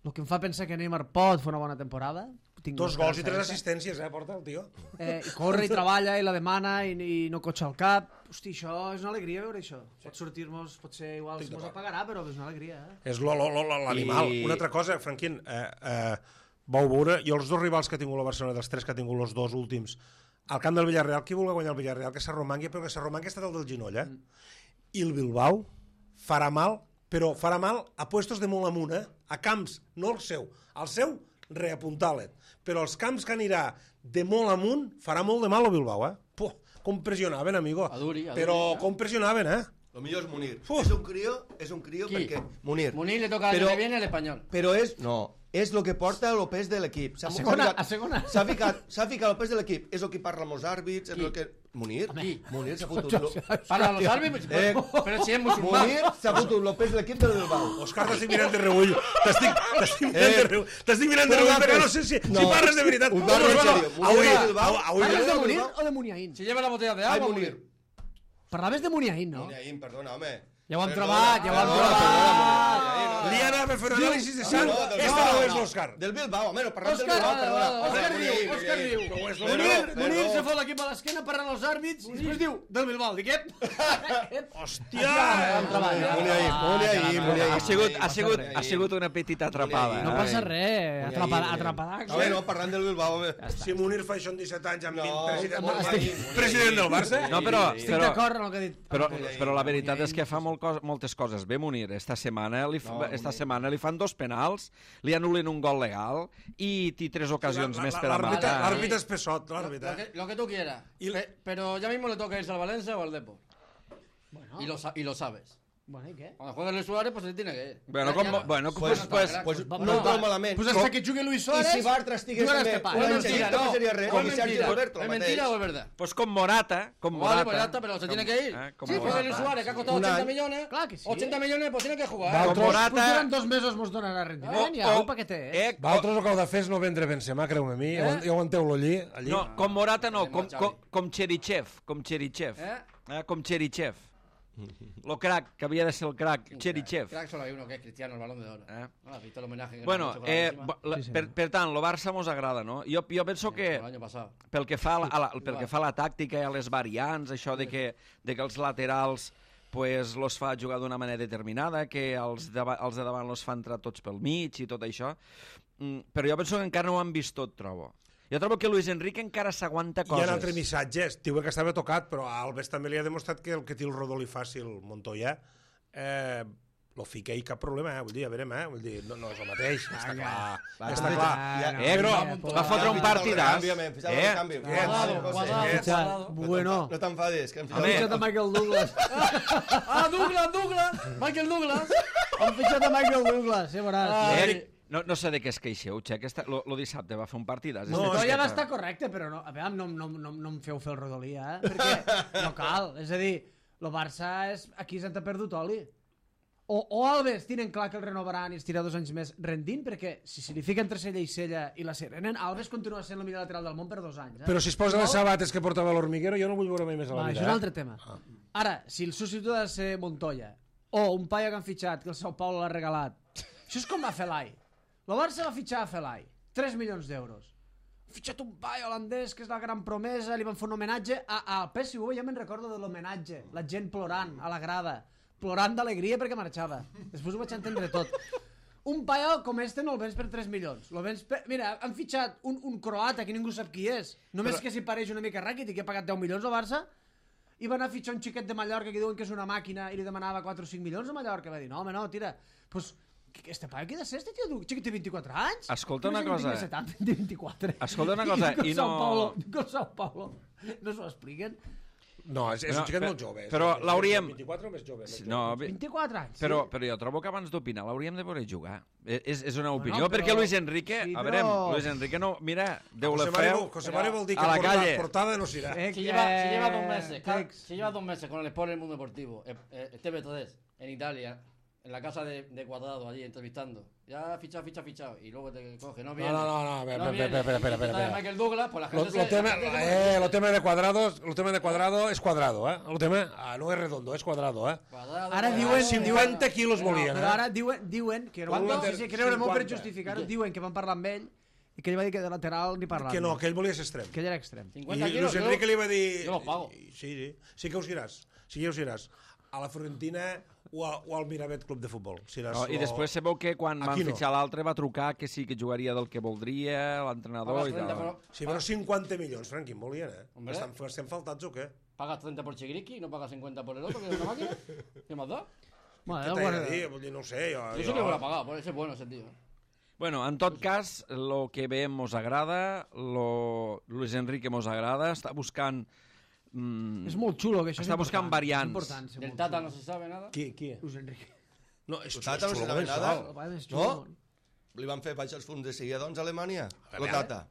el que em fa pensar que Neymar pot fer una bona temporada. Tinc Dos una gols i tres esperança. assistències, eh, porta el tio. Eh, i corre i treballa i la demana i, i no cotxa al cap. Hosti, això és una alegria veure això. Pot sortir-nos, potser igual se mos apagarà, però és una alegria. Eh? És lo- lo- lo- l'animal. I- Una altra cosa, Franquín, eh, eh, vau veure, jo els dos rivals que ha tingut la Barcelona, dels tres que ha tingut els dos últims, al camp del Villarreal, qui vulgui guanyar el Villarreal? Que s'arromangui, però que s'arromangui ha estat el del Ginoll, eh? I el Bilbao farà mal, però farà mal a puestos de molt amunt, eh? A camps, no el seu. El seu, reapuntar-le. Però els camps que anirà de molt amunt, farà molt de mal al Bilbao, eh? Puh, com pressionaven, amigo. A duri, a duri, Però eh? com pressionaven, eh? Lo millor és Munir. Uf. És un crio, és un crio Qui? perquè... Munir. Munir le toca el Però- que viene el español. Però és... No, és el que porta el pes de l'equip. S'ha- A s'ha segona, ficat- a segona. S'ha ficat, s'ha ficat el pes de l'equip. És el que parla amb els àrbits, és Qui? el que... Munir? Qui? Munir s'ha fotut... lo- Para los árbitros, Eh, pero si es musulmán. Munir s'ha fotut el pes de l'equip del Bilbao. Òscar, t'estic mirant de reull. T'estic t'estic mirant Eh. de reull. T'estic mirant de Però reull, va, perquè pues, no sé si, no. si parles de veritat. Ho Com parlo us en va? sèrio. Avui, Munir del Bilbao. avui, Parles de del Munir Bilbao. o de Muniain? Si lleva la botella de Ai, agua, Munir. Munir. Parlaves de Muniain, no? Muniain, perdona, home. Ja ho hem Perdona, trobat, ja ho hem perdona, trobat. perdona, Muniain, Li anava a fer un anàlisi de sang. No, del Esta Bilbao, no és no. l'Òscar. Del Bilbao, home, no parlem del Òscar, Bilbao, ah, perdona. ah, Òscar Muniain, diu, Òscar Muniain. diu. No és Munir, l'Òscar. Munir perdó. se fot l'equip a l'esquena parlant els àrbits i després diu, del Bilbao, dic, ep? Hòstia! Muniain, Muniain, Muniain. Ha sigut, ha, sigut, ha sigut una petita atrapada. No eh? passa res, atrapada, atrapada. Home, no, parlant del Bilbao, home. Si Munir fa això amb disset anys, amb No, vint, president, no, del estic- Barça, president del Barça, No, però, Estic però, d'acord amb el que ha dit. però, però la veritat és que fa molt cos, moltes coses bé Munir. Esta setmana, li, fa, No, esta Munir. setmana li fan dos penals, li anulen un gol legal i té tres ocasions més per a l'àrbitre matar. l'àrbitre és pesot, Lo l'àrbitre. que, lo que tú quieras. Y- Pe- pero ya mismo le toca irse al Valencia o al Depor. Bueno, Y, lo, sa- y lo sabes. bueno, ¿y què? Cuando juegue Luis Suárez, pues se tiene que ir. Bueno, Ya- com, ya- bueno, Pues, pues, pues, pues, va- no va- trobo malament. Pues hasta que jugui Luis I Suárez... si Bartra estigués jugaràs també... de pare. No es un mentira, xerrito, no. no seria res. No Com es Sergi mentira. Roberto, ¿Es el mentira mateix. o es verdad? pues com Morata, com Vale, Morata. pues ya está, pero se tiene que ir. Eh, com Sí, Morata. juega Luis Suárez, que ha costado Un ochenta año. millones. Clar que sí. ochenta millones, pues tiene que jugar. Va, ¿eh? Com Otros- Morata... Pues durant dos mesos mos donarà rendiment, ja, o- un paquetet. Eh? Eh, Vosaltres el que heu de fer és no vendre Benzema, creu-me a mi, ja ho- ja ho aguanteu-lo allí. allí. no, com Morata no, com, Xavi. com, com Cherichev, com Cherichev. ¿Eh? Eh, com Cherichev. Lo crack, que havia de ser el crack, Cherichev. Crack solo hay uno que es Cristiano, el balón de oro. Eh? ¿No has visto el homenaje que le Bueno, han hecho con la eh, última? bo- la, Sí, sí. per, per tant, lo Barça mos agrada, no? Jo, jo penso que El año pasado. pel que fa a la, a la, pel que fa a la tàctica i a les variants, això de que, de que els laterals pues, los fa jugar d'una manera determinada, que els de, els de davant los fa entrar tots pel mig i tot això, mm, però jo penso que encara no ho han vist tot, trobo. Jo trobo que Luis Enrique encara s'aguanta Hi coses. ha un altre missatge, diu que estava tocat, però a Alves també li ha demostrat que el que té el Rodolí fàcil, Montoya, eh, lo fica i cap problema, eh? Vull dir, a veurem, eh? Vull dir, no, no és el mateix, està clar, està també- clar. ja- Eh, no, però va fotre un partidàs. Eh? Eh? Cuadrado, cuadrado, Fitxat. cuadrado. Bueno. No t'enfadis, que hem Han Home. fitxat a Michael Douglas. Ah, Douglas, Douglas. Michael Douglas. Han fitxat a Michael Douglas, eh, veuràs. Ah, Eric, no, no sé de què es queixeu, Xe, aquesta, lo, lo dissabte va fer un partidàs. No, este No, és ja Xeta. va estar correcte, però no, a veure, no, no, no, no em feu fer el Rodolí, eh? Perquè no cal. És a dir, el Barça és... aquí se'n t'ha perdut oli. O, o Alves tenen clar que el renovaran i es tira dos anys més rendint, perquè si se li fica entre Sella i Sella i la Serenen, Alves continua sent el millor lateral del món per dos anys. Eh? Però si es posa les sabates que portava l'Hormiguero, jo no vull veure mai més a la Va, vida. això és un eh? altre tema. Ara, si el substitut ha de ser Montoya, o un paio que han fitxat, que el Sao Paulo l'ha regalat, això és com va fer l'Ai. El Barça va fitxar a Felai, tres milions d'euros. Ha fitxat un paio holandès que és la gran promesa, li van fer un homenatge a, al P S V, ja me'n recordo de l'homenatge, la gent plorant a la grada, plorant d'alegria perquè marxava. Després ho vaig entendre tot. Un paio com este no el vens per tres milions. Lo vens per... Mira, han fitxat un, un croata que ningú sap qui és, només Però... que s'hi pareix una mica Rakitic, que ha pagat deu milions al Barça, i va anar a fitxar un xiquet de Mallorca que diuen que és una màquina i li demanava quatre o cinc milions a Mallorca. Va dir, no, home, no, tira. Pues, este paio qui ha de ser, este tio? Xiquet té vint-i-quatre anys? Escolta una cosa. setanta, vint-i-quatre. Escolta una cosa, i no... Sao Paulo, con Sao Paulo. No s'ho expliquen? No, és, és No, un xiquet però- molt jove. però és- l'hauríem- vint-i-quatre o més jove. Més No, jove. bé, vint-i-quatre anys. però, però jo trobo que abans d'opinar l'hauríem de poder jugar. És, és una opinió, Bueno, però- perquè Luis Enrique... Sí, A veure, però- Luis Enrique no... Mira, Déu José le Mario, feu... José Mario vol dir que a la porta- calle. portada no s'irà. Eh, Si lleva, si lleva dos eh, meses, ca- Tex. si lleva dos meses con el Sport en el Mundo Deportivo, eh, eh, T V tres, en Italia, en la casa de, de Cuadrado, allí entrevistando, ya fichado, fichado, fichado, y luego te coge, no viene. no, no, no, espera, viene. espera, espera, espera, Y está espera. de Michael Douglas, pues la Lo, gente lo se- tema, la gente se- eh, lo tema de cuadrados, lo tema de cuadrado es cuadrado, eh? Lo tema, ah, no es redondo, es cuadrado, eh? Cuadrado, Ara Cuadrado, diuen- cinquanta quilos volien, Però eh? ara diuen, diuen que no, Quanto? sí, sí, que no era molt per cinquanta. justificar-ho, diuen que van parlar amb ell i que ell va dir que de lateral ni parlar. Que no, que ell volia ser extrem. que ell era extrem. cincuenta I kilos, Luis Enrique yo- li va dir... jo los pago. Sí, sí, sí que us iràs, sí que us iràs. A la Fiorentina o, a, o al Miravet Club de Futbol. Si iràs, No, I o- després sabeu que quan van Aquí no. fitxar l'altre va trucar que sí que jugaria del que voldria, l'entrenador Pagas i treinta, tal. pero- Sí, però cinquanta milions, Frank, quin volien, eh? Hombre. Estan, estem faltats o què? Pagas treinta por Chigriki y no pagas cincuenta por el otro, que es una máquina. ¿Qué más da? Bueno, Què eh, t'he bueno, de dir? Vull dir, no ho sé, jo... Yo sí que hubiera pagado, por ese es bueno ese tío. Bueno, en tot cas, lo que veiem mos agrada, lo Luis Enrique mos agrada, està buscant... Mm, és molt xulo, que això Està és buscant important, variants. És important, ser Del molt Tata xulo. no se sabe nada. Qui, qui? Luis Enrique. No, és El Tata no xulo, se sabe començal. nada. El pare més No? xulo. Li van fer baixar els fons de seguida, doncs, a Alemanya. A Lo veure. Tata.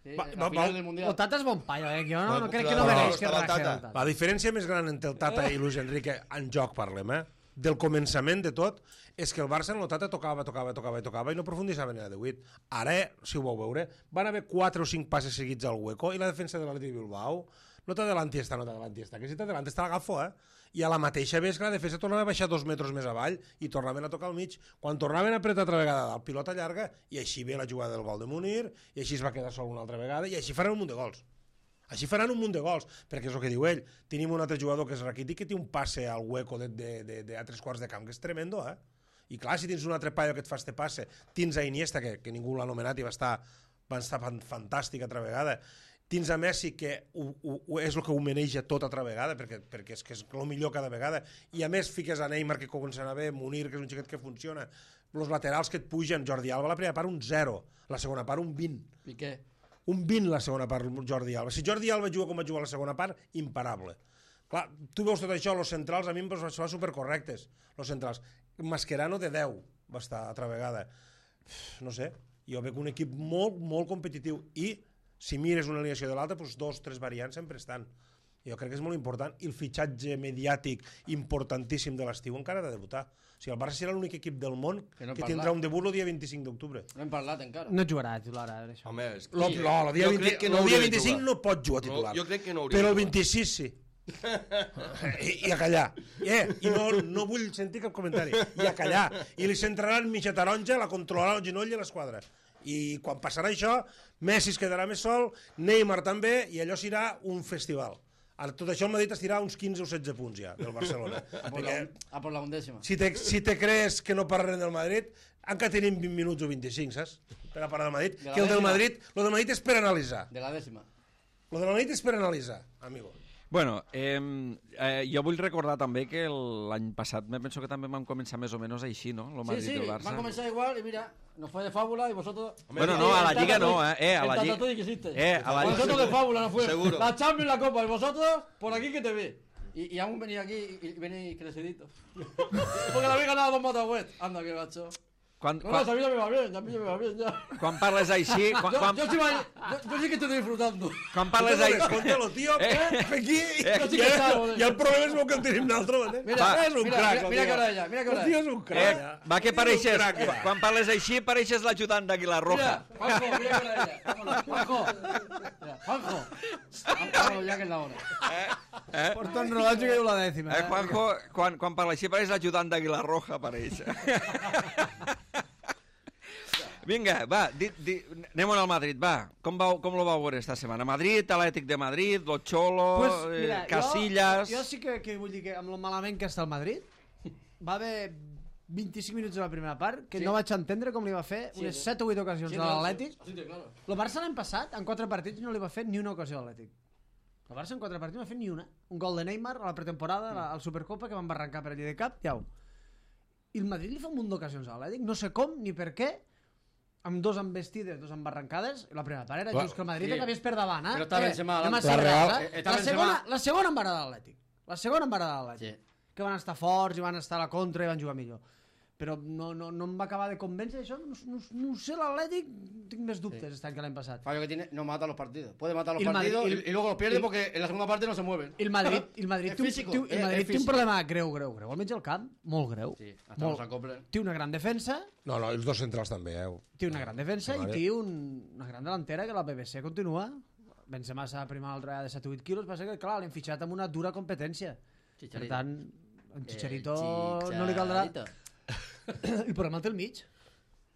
Sí, Va- la va- final va- del Mundial. El Tata és bon paio, eh? Jo no, Va, no crec clar, que no va, mereix que estava raje Tata. el Tata. La diferència més gran entre el Tata i Luis Enrique en joc, parlem, eh? Del començament de tot, és que el Barça en el Tata tocava, tocava, tocava i tocava i no profundissava en el divuit. Ara, si ho vau veure, van haver quatre o cinc passes seguits al hueco i la defensa de l'Atlètic Bilbao no t'adelanti esta, no t'adelanti esta, que si t'adelanti esta l'agafo, eh? I a la mateixa vegada que la defensa tornava a baixar dos metres més avall i tornaven a tocar al mig. Quan tornaven a apretar altra vegada el pilota llarga, i així ve la jugada del gol de Munir, i així es va quedar sol una altra vegada, i així faran un munt de gols. Així faran un munt de gols, perquè és el que diu ell. Tenim un altre jugador que és Rakitic, que té un passe al hueco de, de, de, de a tres quarts de camp, que és tremendo, eh? I clar, si tens un altre paio que et fa este passe, tens a Iniesta, que, que ningú l'ha anomenat i va estar, va estar fan- fantàstic altra vegada, tens a Messi, que ho, ho, ho, és el que ho maneja tot altra vegada, perquè, perquè és que és el millor cada vegada, i a més fiques a Neymar, que comença a bé, Munir, que és un xiquet que funciona, els laterals que et pugen, Jordi Alba, la primera part un zero, la segona part un vint, Piqué. un vint la segona part, Jordi Alba. Si Jordi Alba juga com va jugar la segona part, imparable. Clar, tu veus tot això, els centrals a mi em va semblar supercorrectes, els centrals. Mascherano de deu va estar altra vegada. No sé, jo veig un equip molt, molt competitiu i si mires una alineació de l'altra, doncs dos, tres variants sempre estan. Jo crec que és molt important i el fitxatge mediàtic importantíssim de l'estiu encara ha de debutar. O sigui, el Barça serà l'únic equip del món Que no hem que parlat. tindrà un debut el dia vint-i-cinc d'octubre. No hem parlat encara. No jugarà titular ara, això. Home, és que... Lo, no, el dia, Jo vint, crec que no el dia hauria de vint-i-cinc jugar. no pot jugar titular. No, jo crec que no hauria Però de el jugar. vint-i-sis sí. I, I a callar. Eh, I no, no vull sentir cap comentari. I a callar. I li centraran mitja taronja, la controlarà el genoll i l'esquadra. I quan passarà això, Messi es quedarà més sol, Neymar també, i allò serà un festival. Ara, tot això el Madrid estirà uns quinze o setze punts ja, del Barcelona. A por, la, Perquè a por la undécima. si te, si te crees que no parlarem del Madrid, encara tenim vint minuts o vint-i-cinc, saps? Per a parlar del Madrid. De la Que el del dècima. Madrid, lo del Madrid és per analitzar. De la décima. Lo del Madrid és per analitzar, amigo. Bueno, eh, eh, jo vull recordar també que el- l'any passat me penso que també vam començar més o menys així, no? Lo Sí, Madrid sí, del van Barça. a comenzar igual y mira, nos fue de fábula y vosotros... Bueno, no, a la El Lliga Tata no, tú- eh, eh, a el la Tata Lliga- tú y quisiste. eh, a la Vosotros Lliga- de fábula no fue. Seguro. La Champions, la Copa, y vosotros por aquí que te ve. Y, y aún venís aquí y venís creciditos. Porque la habéis ganado dos Matahuet. Anda, que gacho. Quan, No, no, quan, a mí ya me va bien, a mí ya me va bien ya. quan parles així... Quan, Yo, quan, yo, sí, va- yo, yo sí que estoy disfrutando. quan parles Escolta, així... escolta-lo, tio, Eh. eh, aquí, Jo sí i, que ja, sabo, i el problema és que el tenim nosaltres, eh? Mira, Va, és un mira, crac, mira, el mira tio. que hora ella, mira que hora El tio ella. és un Eh, crac. va que El tio és un pareixes... crac, ja. Quan parles així, pareixes l'ajudant d'Aguilar Roja. Mira, Juanjo, mira que hora ella. Vámonos, Juanjo. Mira, Juanjo. Vámonos ya que es la hora. Porta un rellotge que diu la dècima. Eh, Juanjo, quan, quan parla així, pareix l'ajudant d'Aguilar Roja, pareix. Vinga, va, di, di, anem al Madrid, va. Com, vau, com lo vau veure esta setmana? Madrid, Atlètic de Madrid, Lo Cholo, Pues, mira, eh, Casillas... Jo, jo sí que, que vull dir que amb lo malament que està el Madrid, va haver vint-i-cinc minuts de la primera part que Sí. no vaig entendre com li va fer Sí, unes sí. set o vuit ocasions Sí, a no, l'Atlètic. sí, sí, claro. El Barça l'any passat, en quatre partits, no li va fer ni una ocasió a l'Atlètic. El Barça en quatre partits no va fer ni una. Un gol de Neymar a la pretemporada, mm. al Supercopa, que van barrancar per allí de cap, iau. I el Madrid li fa un munt d'ocasions a l'Atlètic, no sé com ni per què, amb dos embestides, dos embarrancades. La primera part era Clar, just que el Madrid sí. acabés per davant, eh? Però està Eh, Benzema anem a davant. ser La Real- reals, eh? eh, està La Benzema- segona, la segona embarada de l'Atlètic. La segona embarada de l'Atlètic. Sí. Que van estar forts i van estar a la contra i van jugar millor. Però no, no, no em va acabar de convèncer això. No, no, no sé, l'Atlètic tinc més dubtes Sí. este any que l'any passat. Fallo que tiene, no mata los partidos. Puede matar los Y el Madrid- partidos y y, el- y luego los pierde y- porque en la segunda parte no se mueven. I el Madrid, i el Madrid, És té, un, físico, té, un- el és- Madrid és té un físico. problema greu, greu, greu. Almenys al camp, molt greu. Sí, hasta Molt. los acoplen. Té una gran defensa, No, no, els dos centrals també, eh? té una gran defensa Sí, i vale. té un, una gran delantera que la B B C continua. Benzema s'ha primar l'altra vegada de set o vuit quilos, passa que, clar, l'hem fitxat amb una dura competència. Chicharito. Per tant, en Chicharito Eh, no li caldrà... Chicharito. El problema el té el mig.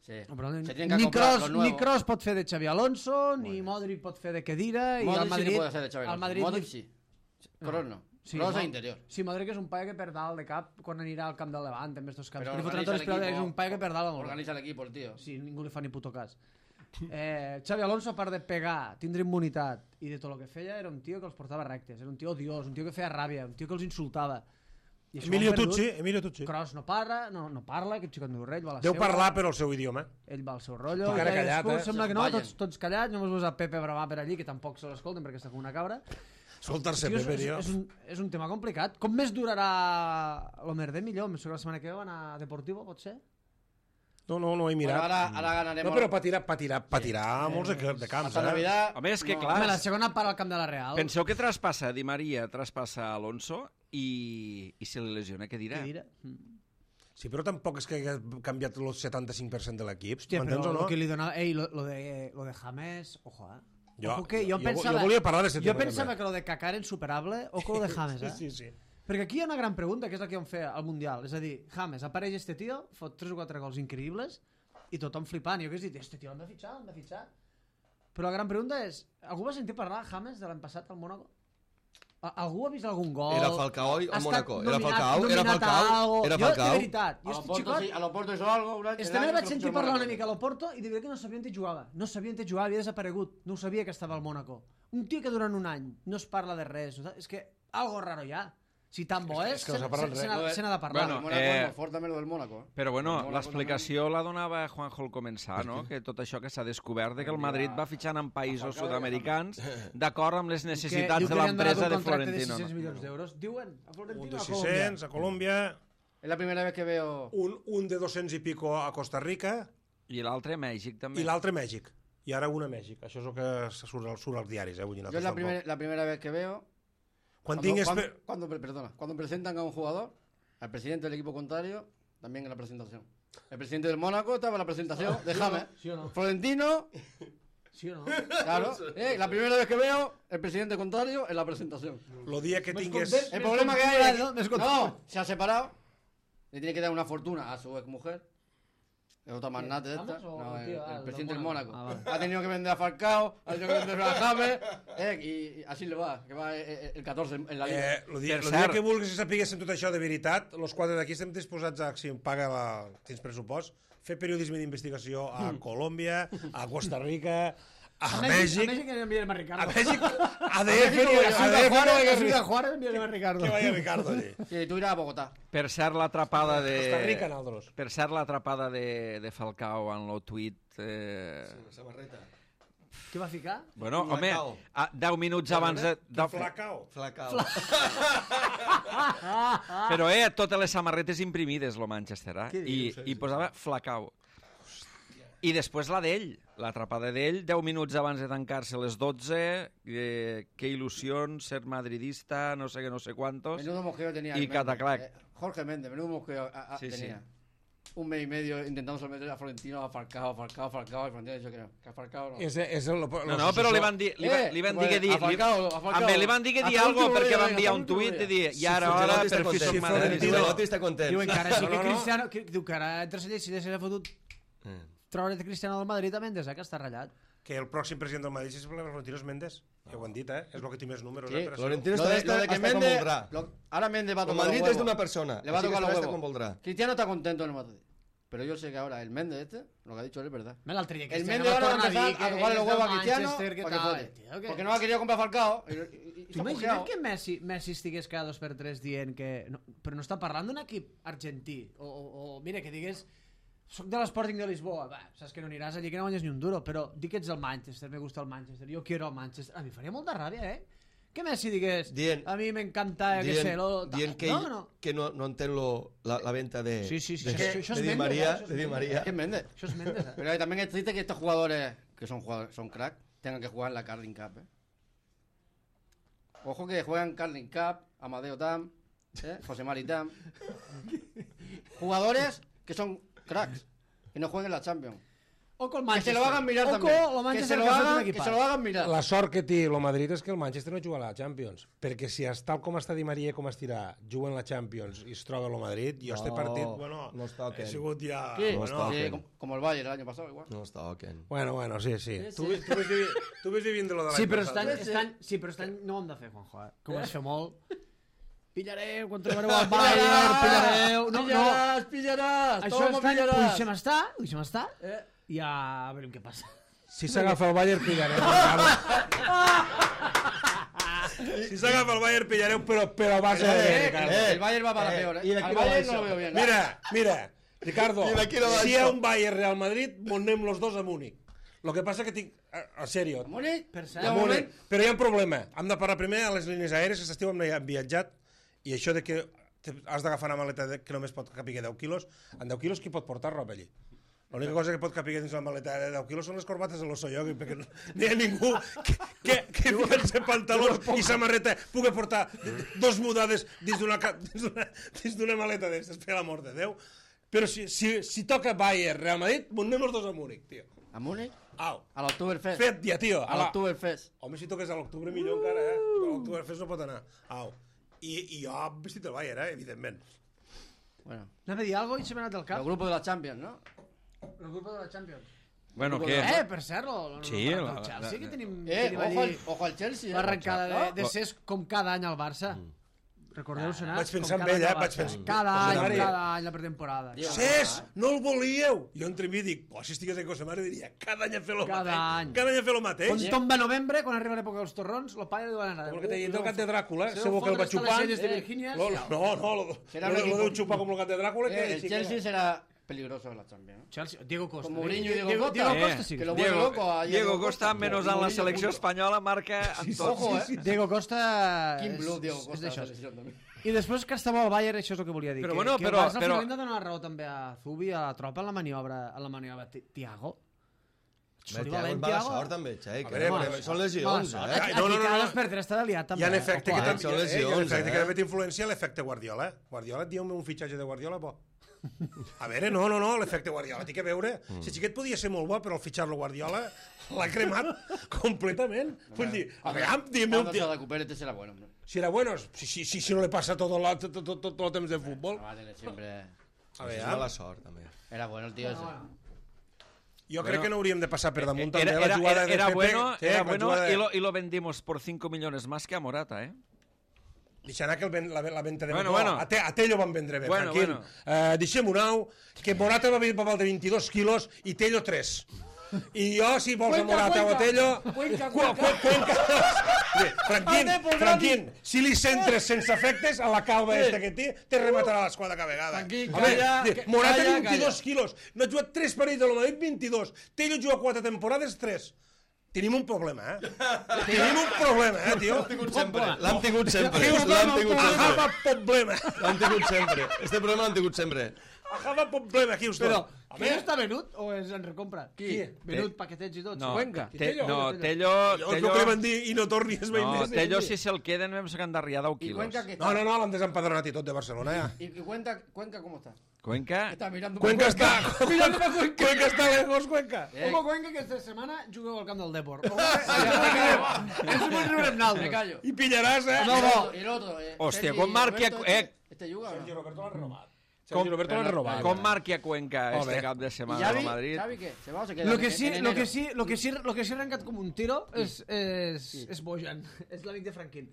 Sí. El problema... Se tienen que Ni comprar Kroos, los nuevos. ni Kroos pot fer de Xavi Alonso, ni Modric pot fer de Kedira, i Modric al Madrid... sí que puede hacer de Xavi al Alonso. Madrid Modric li- sí. Kroos no. Sí, Kroos no? es interior. Sí, Modric és un paio que per dalt de cap quan anirà al camp del Levant, en estos camps. Pero Li fotran organiza tots el els peus, equipo. és un paio que per dalt va molt bé. Organiza el equipo, el tío. Sí, ningú li fa ni puto cas. Eh, Xavi Alonso, a part de pegar, tindre immunitat i de tot el que feia, era un tio que els portava rectes, era un tio odiós, un tio que feia ràbia, un tio que els insultava. I això ho Emilio han perdut. Tucci, Emilio Tucci. Kroos no parla, no, no parla, aquest xicot meu rei, va a la Deu seva, parlar però el seu idioma. ell va al seu rotllo, Tu encara i callat, cadascú eh? sembla que no, Ballen. tots, tots callats, només veus a Pepe bramar per allí, que tampoc se l'escolten perquè està com una cabra. Escoltar-se, Tio, és, Pepe, és, tio. és, un, és un tema complicat. Com més durarà l'Homerder millor? Em sembla que la setmana que ve van a Deportivo, pot ser? No, no, no he Bueno, mirat. ahora, ahora ganaremos. No, però patirà, patirà, patirà molts de, de camps, Hasta eh? Navidad. Home, és que no. clar, Home, la segona part al camp de la Real. penseu que traspassa Di Maria, traspassa Alonso i, i se li lesiona, què dirà? Què dirà? Mm. Sí, però tampoc és que hagués canviat el setanta-cinc per cent de l'equip. Hòstia, però M'entens o lo no? que li donava... Ei, lo, lo, de, lo de James... Ojo, eh? Jo- Ojo que jo, jo- pensava... jo volia parlar d'aquest Jo tema, pensava també. que lo de Kaká era insuperable. Ojo lo de James, eh? Sí, sí, sí. Perquè aquí hi ha una gran pregunta, que és la que vam fer al Mundial. És a dir, James, apareix este tio, fot tres o quatre gols increïbles, i tothom flipant. I jo que he dit, este tio l'hem de fitxar, l'hem de fitxar. Però la gran pregunta és, algú va sentir parlar James de l'any passat al Mónaco? A- Algú ha vist algun gol? Era Falcao i Ha al estat Mónaco. Era nominat- Falcao, era nominat a Falcao, algo? era Jo, Falcao. de veritat, A jo los este Porto, xicot... sí, a los Porto hizo algo. un año- Este el nen año vaig que sentir lo parlar fichó una mica a l'Oporto i de veritat que no sabia on jugava. No sabia on jugava, havia desaparegut. No ho sabia que estava al Mónaco. Un tio que durant un any no es parla de res. no saps? És que algo raro hi ha. Si tan bo és, és que no se s'ha parlat se- se res. n'ha se n'ha de parlar. Bueno, El Mónaco eh, es molt fort també lo del Mónaco. eh. Però bueno, El Mónaco l'explicació la donava Juanjo al començar, no? Que tot això que s'ha descobert de que el Madrid va fitxant en països sud-americans d'acord amb les Que necessitats diu de que li han donat l'empresa un de contracte Florentino. de sis cents no? milions d'euros. Diuen, a Un Florentino de a sis Colòmbia. cents a Colòmbia, Es la primera vez que veo. un, un de dos-cents i pico a Costa Rica I l'altre a Mèxic, també. i l'altre a Mèxic. I ara un a Mèxic. Això és el que surt, al- surt als diaris, eh? Vull dir, Yo es nosaltres la, tampoc. primer- la primera vez que veo. Quan Cuando, tingues... cuando, per- cuando- perdona, cuando presentan a un jugador, al presidente del equipo contrario, también en la presentación. El presidente del Mónaco estaba en la presentación de James. ¿Sí o no? Florentino, Sí o no? claro. eh, la primera vez que veo el presidente contrario en la presentación. Lo dia que Més tingues... content. El Més problema que content, hay ¿no? es Més que, content. no, se ha separado. Le tiene que dar una fortuna a su exmujer. Es otra magnate de esta. ¿James o No, el el, tío? el Ah, el del presidente del Mónaco. Mónaco. Ah, vale. Ha tenido que vender a Falcao, ha tenido que vender a James. Eh, y, y así le va, que va eh, eh, el catorce en la liga. Eh, el dia, Per el dia cert. que vulguis que sapiguéssim tot això de veritat, els quatre d'aquí estem disposats a, si em paga la, tens pressupost, fer periodisme d'investigació a Colòmbia, a Costa Rica, a, A Mèxic, Mèxic enviarem a Ricardo. a Mèxic, a D Mèxic F, voy yo. a A D F no Juárez, hi a Ciudad ha Juárez enviarem a Ricardo. que vaya Ricardo allí. Sí, tú irás a Bogotá. Per cert, l'atrapada de... Costa Rica, nosaltres. Per cert, l'atrapada de, de Falcao en el tuit... Eh... La samarreta. Què va ficar? Bueno, home, Flacao. a, deu minuts abans de... de... Flacao. Flacao. Però, eh, totes les samarretes imprimides, lo Manchester, eh? Què I, dius? i posava Flacao. I després la d'ell, l'atrapada d'ell, deu minuts abans de tancar-se les dotze, eh, que il·lusió ser madridista, no sé què, no sé quantos. Menudo mosqueo tenía. Y el Méndez, Cataclac. eh, Jorge Méndez, menudo mosqueo a- a- Sí, sí. tenía. Un mes y medio intentando someter a Florentino, a Falcao, a Falcao, a Falcao, y Florentino ha dicho que no, que a Falcao no. És, és el, No, no, però li van dir, li, va, Eh, li van pues, dir que dir... a Falcao, a Falcao. Li, li van dir que dir Hasta algo l'último perquè dia, va hasta enviar un l'último tuit dia. i dir, i ara, Ancelotti ara, està per fi content. som Florentino- madridistes. Ancelotti està content. Diuen que ara sí que No, no, no. Cristiano... Que, diu que ara entre si se l'ha fotut... Eh. treure Cristiano del Madrid a Mendes, eh, que està ratllat. Que el pròxim president del Madrid és Florentino Mendes. Ja ho han dit, eh? És el que té més números. Sí, eh, per això. Florentino Lo està, de, està, lo de que hasta com Mendes, voldrà. lo- ahora Mendes va a El tocar los Madrid huevos. és d'una persona. Le va a així que tocar los estarà huevos. com voldrà. Cristiano está contento en el Madrid. Pero yo sé que ahora el Mendes este, lo que ha dicho él es verdad. Mira, l'altre dia El Cristiano Mendes ahora va a torna empezar dir a que tocarle és los del huevos a Cristiano Manchester, que para que tal, jote. tio, que- Porque no ha querido comprar Falcao. Y, y, y Tu se ha imagina't cojeado. que Messi, Messi estigués cada dos per tres dient que... No, però no està parlant d'un equip argentí. O, o, o mira, que digués... Soc de l'Sporting de Lisboa. Va, saps que no aniràs allí, que no guanyes ni un duro. Però di que ets el Manchester, me gusta el Manchester. Jo quiero el Manchester. A mi faria molta ràbia, eh? Que Messi digués... Dient- a mi m'encanta, que sé... Lo, dient que, no, ell, no. que no, no entén lo, la, la venta de, Sí, sí, sí. de, Això- això és de Di Mendes, María. eh? Això és De Di Mendes. María. Es que es Mendes. Això és Mendes, eh? Pero también es triste que estos jugadores, que son jugadores, son crack, tengan que jugar en la Carling Cup, ¿eh? Ojo que juegan Carling Cup, Amadeo Tam, ¿eh? José Mari Tam. Jugadores que son cracks, que no jueguen la Champions. O col Que Manchester. se lo hagan mirar o también. Lo Que Manchester se lo que ha fet un hagan, que equipàs. se lo hagan mirar. La sort que té el Madrid és que el Manchester no juga a la Champions, perquè si és tal com està Di Maria i com estirà, juga en la Champions i es troba el Madrid, jo este partit, bueno, no es toquen. he sigut ja... Sí, no bueno, sí, com- como el Bayern el año pasado igual. No es toquen. bueno, bueno, sí, sí. Sí, Tu, sí. ves- tu, ves vivint, tu ves vivint de lo de l'any Sí, però passat. estan, Sí, sí. estan, sí, però estan, no ho hem de fer, Juanjo, eh? Que ho vas fer molt. Pillareu, quan trobareu el Bayern, pillareu... No, no, pillaràs, pillaràs, això toma, estan... Ho pillaràs. deixem estar, ho deixem estar, Eh, i ja veurem què passa. Si s'agafa el Bayern, pillareu. si s'agafa el Bayern, pillareu, però, però a base de... eh, Ricardo. el Bayern va para eh, peor, ¿eh? y de aquí Al no va Bayern no eso. lo veo bien. Mira, mira, Ricardo, I d'aquí no va si hi ha això. un Bayern Real Madrid, anem los dos a Múnich. Lo que passa que tinc... En sèrio, Múnich, Per cert, de a Múnich. moment, Però hi ha un problema. Hem de parar primer a les línies aèries, que estiu hem viatjat, i això de que te- has d'agafar una maleta de, que només pot capir deu quilos, en deu quilos qui pot portar roba allí? L'única cosa que pot capir dins la maleta de deu quilos són les corbates de l'Ossoyogi, perquè no, no hi ha ningú que, que, que fiant-se pantalons i samarreta pugui portar dos mudades dins d'una ca- dins d'una dins d'una maleta d'aquestes, per l'amor de Déu. Però si, si, si toca Bayern, Real Madrid, anem els dos a Múnich, tio. a Múnich, Au, al Oktoberfest. fet ja, tio. Al Ala. Oktoberfest. Home, si toques a l'octubre millor encara, eh? A l'Oktoberfest no pot anar. Au. I, i jo he vestit el Bayern, eh? Evidentment. Bueno, Anava a dir alguna cosa i se m'ha anat del el cap. grupo de la Champions, ¿no? El grup de la Champions. Bueno, Eh, què? Eh, per cert, lo, lo, Sí, lo, la- el Chelsea, la- que tenim, Eh, tenim ojo al, allí ojo al Chelsea, eh? l'arrencada de, Ah, de ser com cada any al Barça. Recordeu sonar? Vaig pensar com en cada ell, any eh? al Vaig Barça. pensar- Cada José any, María. cada any la pretemporada. Dios. Cés, no el volíeu! Jo entreví dic, oh, si estigués en José Mare diria, cada any a fer lo Cada mateix. any. Cada any a fer lo Quan mateix. tomba novembre, quan arriba l'època dels torrons, el pare diu anar. Com el que t'he dit del gat de Dràcula, Se segur que el va xupant. de Eh, Virginia. Lo- No, no, lo, Serà lo, un lo equipo- deu xupar com el gat de Dràcula. Eh, Que el sí que Chelsea no. será peligroso en la Champions, ¿no? Chelsea, Diego Costa. Con Mourinho y Diego Diego, Costa. Diego Eh, Costa sí. que lo Diego, vuelve loco a Diego Costa, menys en la Mourinho selecció punto. espanyola, marca en tots. Ojo, eh? Diego Costa Kim és, Blue, Diego és Costa. d'això. la selección también. I després que estava al Bayern, això és el que volia dir. Però que, bueno, que però- el Barça al però- final li ha de donar raó també a Zubi, a la tropa, en la maniobra, en la maniobra Ti- Tiago. Bé, Soli Tiago, és valent, mala Tiago. sort també, Xai, A que veure, no, mala són Mala lesions, sort. eh? Ai, no, no, no, Aquí cada no. dos per tres està liat, també. Hi ha un eh? efecte que Ojo, eh? també, Són eh, hi ha un lesions, efecte eh? que també t'influencia l'efecte Guardiola. eh? Guardiola, diu-me un fitxatge de Guardiola bo. A veure, no, no, no, l'efecte Guardiola, té que veure. Si el xiquet podia ser molt bo, però al fitxar-lo Guardiola l'ha cremat completament. Vull dir, a veure, dime un Cuando se dia... recupere, este será bueno, hombre. Si era bueno, si, si, si, si no le passa tot el, tot, tot, tot, tot el temps de futbol. No va a tener siempre... A És veure, mala sort, també. Era bueno el tío ese. jo crec que no hauríem de passar per damunt també Era, la era, jugada era, de era Pepe. bueno, Sí, era la bueno jugada de- y, lo, y lo vendimos por cinco millones más que a Morata, ¿eh? Deixant anar que el ven, la, la venda de Bueno, Morata. bueno. A, te, a Tello van vendre bé, Bueno, tranquil. bueno. Eh, deixem-ho nou, que Morata va vendre per de vint-i-dos quilos i Tello tres. I jo, si vols a Morata o a Tello... Cuenca, Cu- cu- Cuenca. Sí, Franquín, Franquín, si li centres sense efectes a la calva esta que té, te rematarà l'esquadra cada vegada. Franquín, Home, calla, di- que- Morata calla, vint-i-dos quilos, no ha jugat tres parells de lo Madrid vint-i-dos, Tello juga quatre temporades tres. Tenim un problema, eh? Tenim un problema, eh, tio? L'hem tingut sempre, l'hem tingut sempre. Houston, L'hem tingut sempre. Ahava problema. L'hem tingut sempre. Este problema l'hem tingut sempre. Ahava problema, Houston. Però, Home, qui està venut o és en recompra? Qui? Venut, paquetets i tot. No, Cuenca. Te, Tello? no, Tello... jo és el Tello que li van dir i no tornis mai no, més. Tello si se'l queden vam sacar d'arriar deu Y quilos. Cuenca que está... No, no, no, l'han desempadronat i tot de Barcelona, ja. Y, y Cuenca, Cuenca, ¿cómo está? Cuenca... Está mirando... Cuenca està... Cuenca està lejos, Cuenca. Eh, Home, Cuenca aquesta setmana jugueu al camp del Depor. Ens ho riurem me naltros. callo. I pillaràs, eh? Y el otro, y el otro, eh, Hòstia, Sergi quan marqui... Roberto, Eh, Este, este juga, ¿o no? Sergi Roberto l'ha renovat. Sergi Roberto l'han robat. Com marqui a Cuenca Oh, este bé. cap de ¿Y setmana Xavi? a Madrid? ¿Xavi qué? ¿Se va o se queda? Lo que en- sí, en lo enero? que sí, lo que sí, lo que sí ha arrencat com un tiro és, és, és Bojan, és l'amic de Franquín.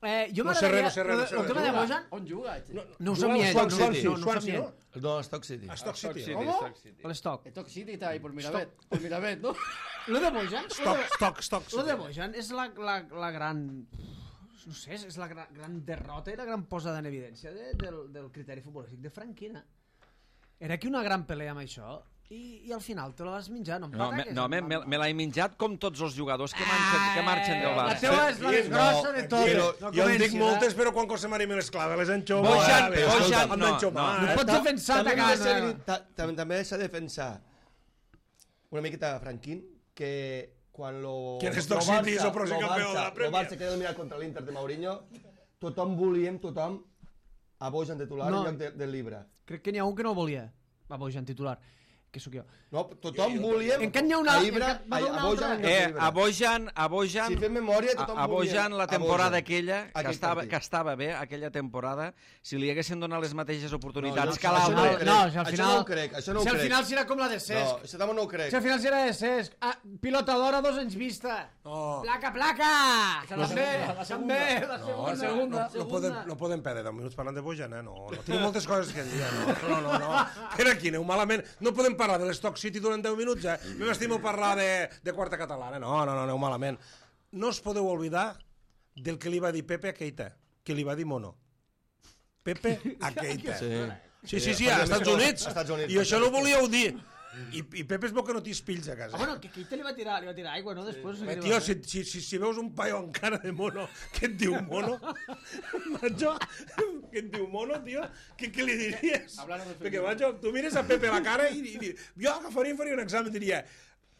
Eh, jo No sé res, no sé res, no m'agradaria- sé el res. tema de Juga? Bojan, On juga? este? no ho Juga al sabia ell, Swansea, no, no, no, no ho Swansea, sabia no? ell. No, Stock City. A Stock City. ¿Cómo? A l'Stock. Stock City está ahí por Mirabet. Por Mirabet, ¿no? Lo de Bojan, Stock, Stock, Stock lo de City. Bojan és la, la, la gran... No sé, és la gran, gran derrota i la gran posada en evidència de, del, del criteri futbolístic de Franquina. Era aquí una gran pelea amb això i, i al final te la vas menjar, no em No, me, pataques, no me, em- me, me l'he menjat com tots els jugadors que marxen, que marxen del La Barça. teva és la més grossa de tot. Però No jo en dic comencis, moltes, eh? però quan cosa m'anima les claves, les enxomo. Bojan, vale, Bojan, escolta, no, enxomar, no. eh? No pots defensar també de m'ha de ser cara. veri- ta- tam- també s'ha de defensar una miqueta a Franquín, que quan lo, Que en lo Stock Barça- City és el pròxim lo campió de la Barça- Premier. Lo Barça queda eliminat contra l'Inter de Mourinho, tothom volíem, tothom, a Bojan titular No. en lloc de, del Libra. Crec que n'hi ha un que no volia. Va, Bojan titular, que sóc jo. No, tothom volíem Encara n'hi ha una- a Ibra, encara- va a, haver una a Bojan altra- en lloc de Eh, Ibra. a Bojan, a Bojan, Si fem memòria, a, tothom a Bojan volia la a temporada Bojan. aquella, que Aquell estava, partit. que estava bé, aquella temporada, si li haguessin donat les mateixes oportunitats No, jo- que això no l'altre... ho crec. No, si al Això final... no ho crec, això no ho si al crec. final serà com la de Cesc. No, això també no ho crec. Si al final serà de Cesc. Ah, pilota d'hora, dos anys vista. No. Placa, placa! També, també, la No, segunda. no, no, podem, no podem perdre deu minuts parlant de Bojan, eh? No, no. Tinc moltes coses que dir, no, no, no, no. Per aquí, aneu malament. No podem parlar de l'Stock City durant deu minuts, eh? Me m'estimo parlar de, de quarta catalana. No, no, no, aneu malament. No us podeu oblidar del que li va dir Pepe a Keita, que li va dir Mono. Pepe a Keita. Sí. Sí, sí, sí, a Estats Units. A Estats Units. I això no ho volíeu dir. I, i Pepe es veu que no tens fills a casa. Ah, bueno, que Keita li va tirar, li va tirar aigua, no? Després... Eh, tio, si, si, si, si veus un paio amb cara de mono que et diu mono, macho, que et diu mono, tio, què, què li diries? Perquè, macho, tu mires a Pepe la cara i, i, i jo agafaria i faria un examen, diria,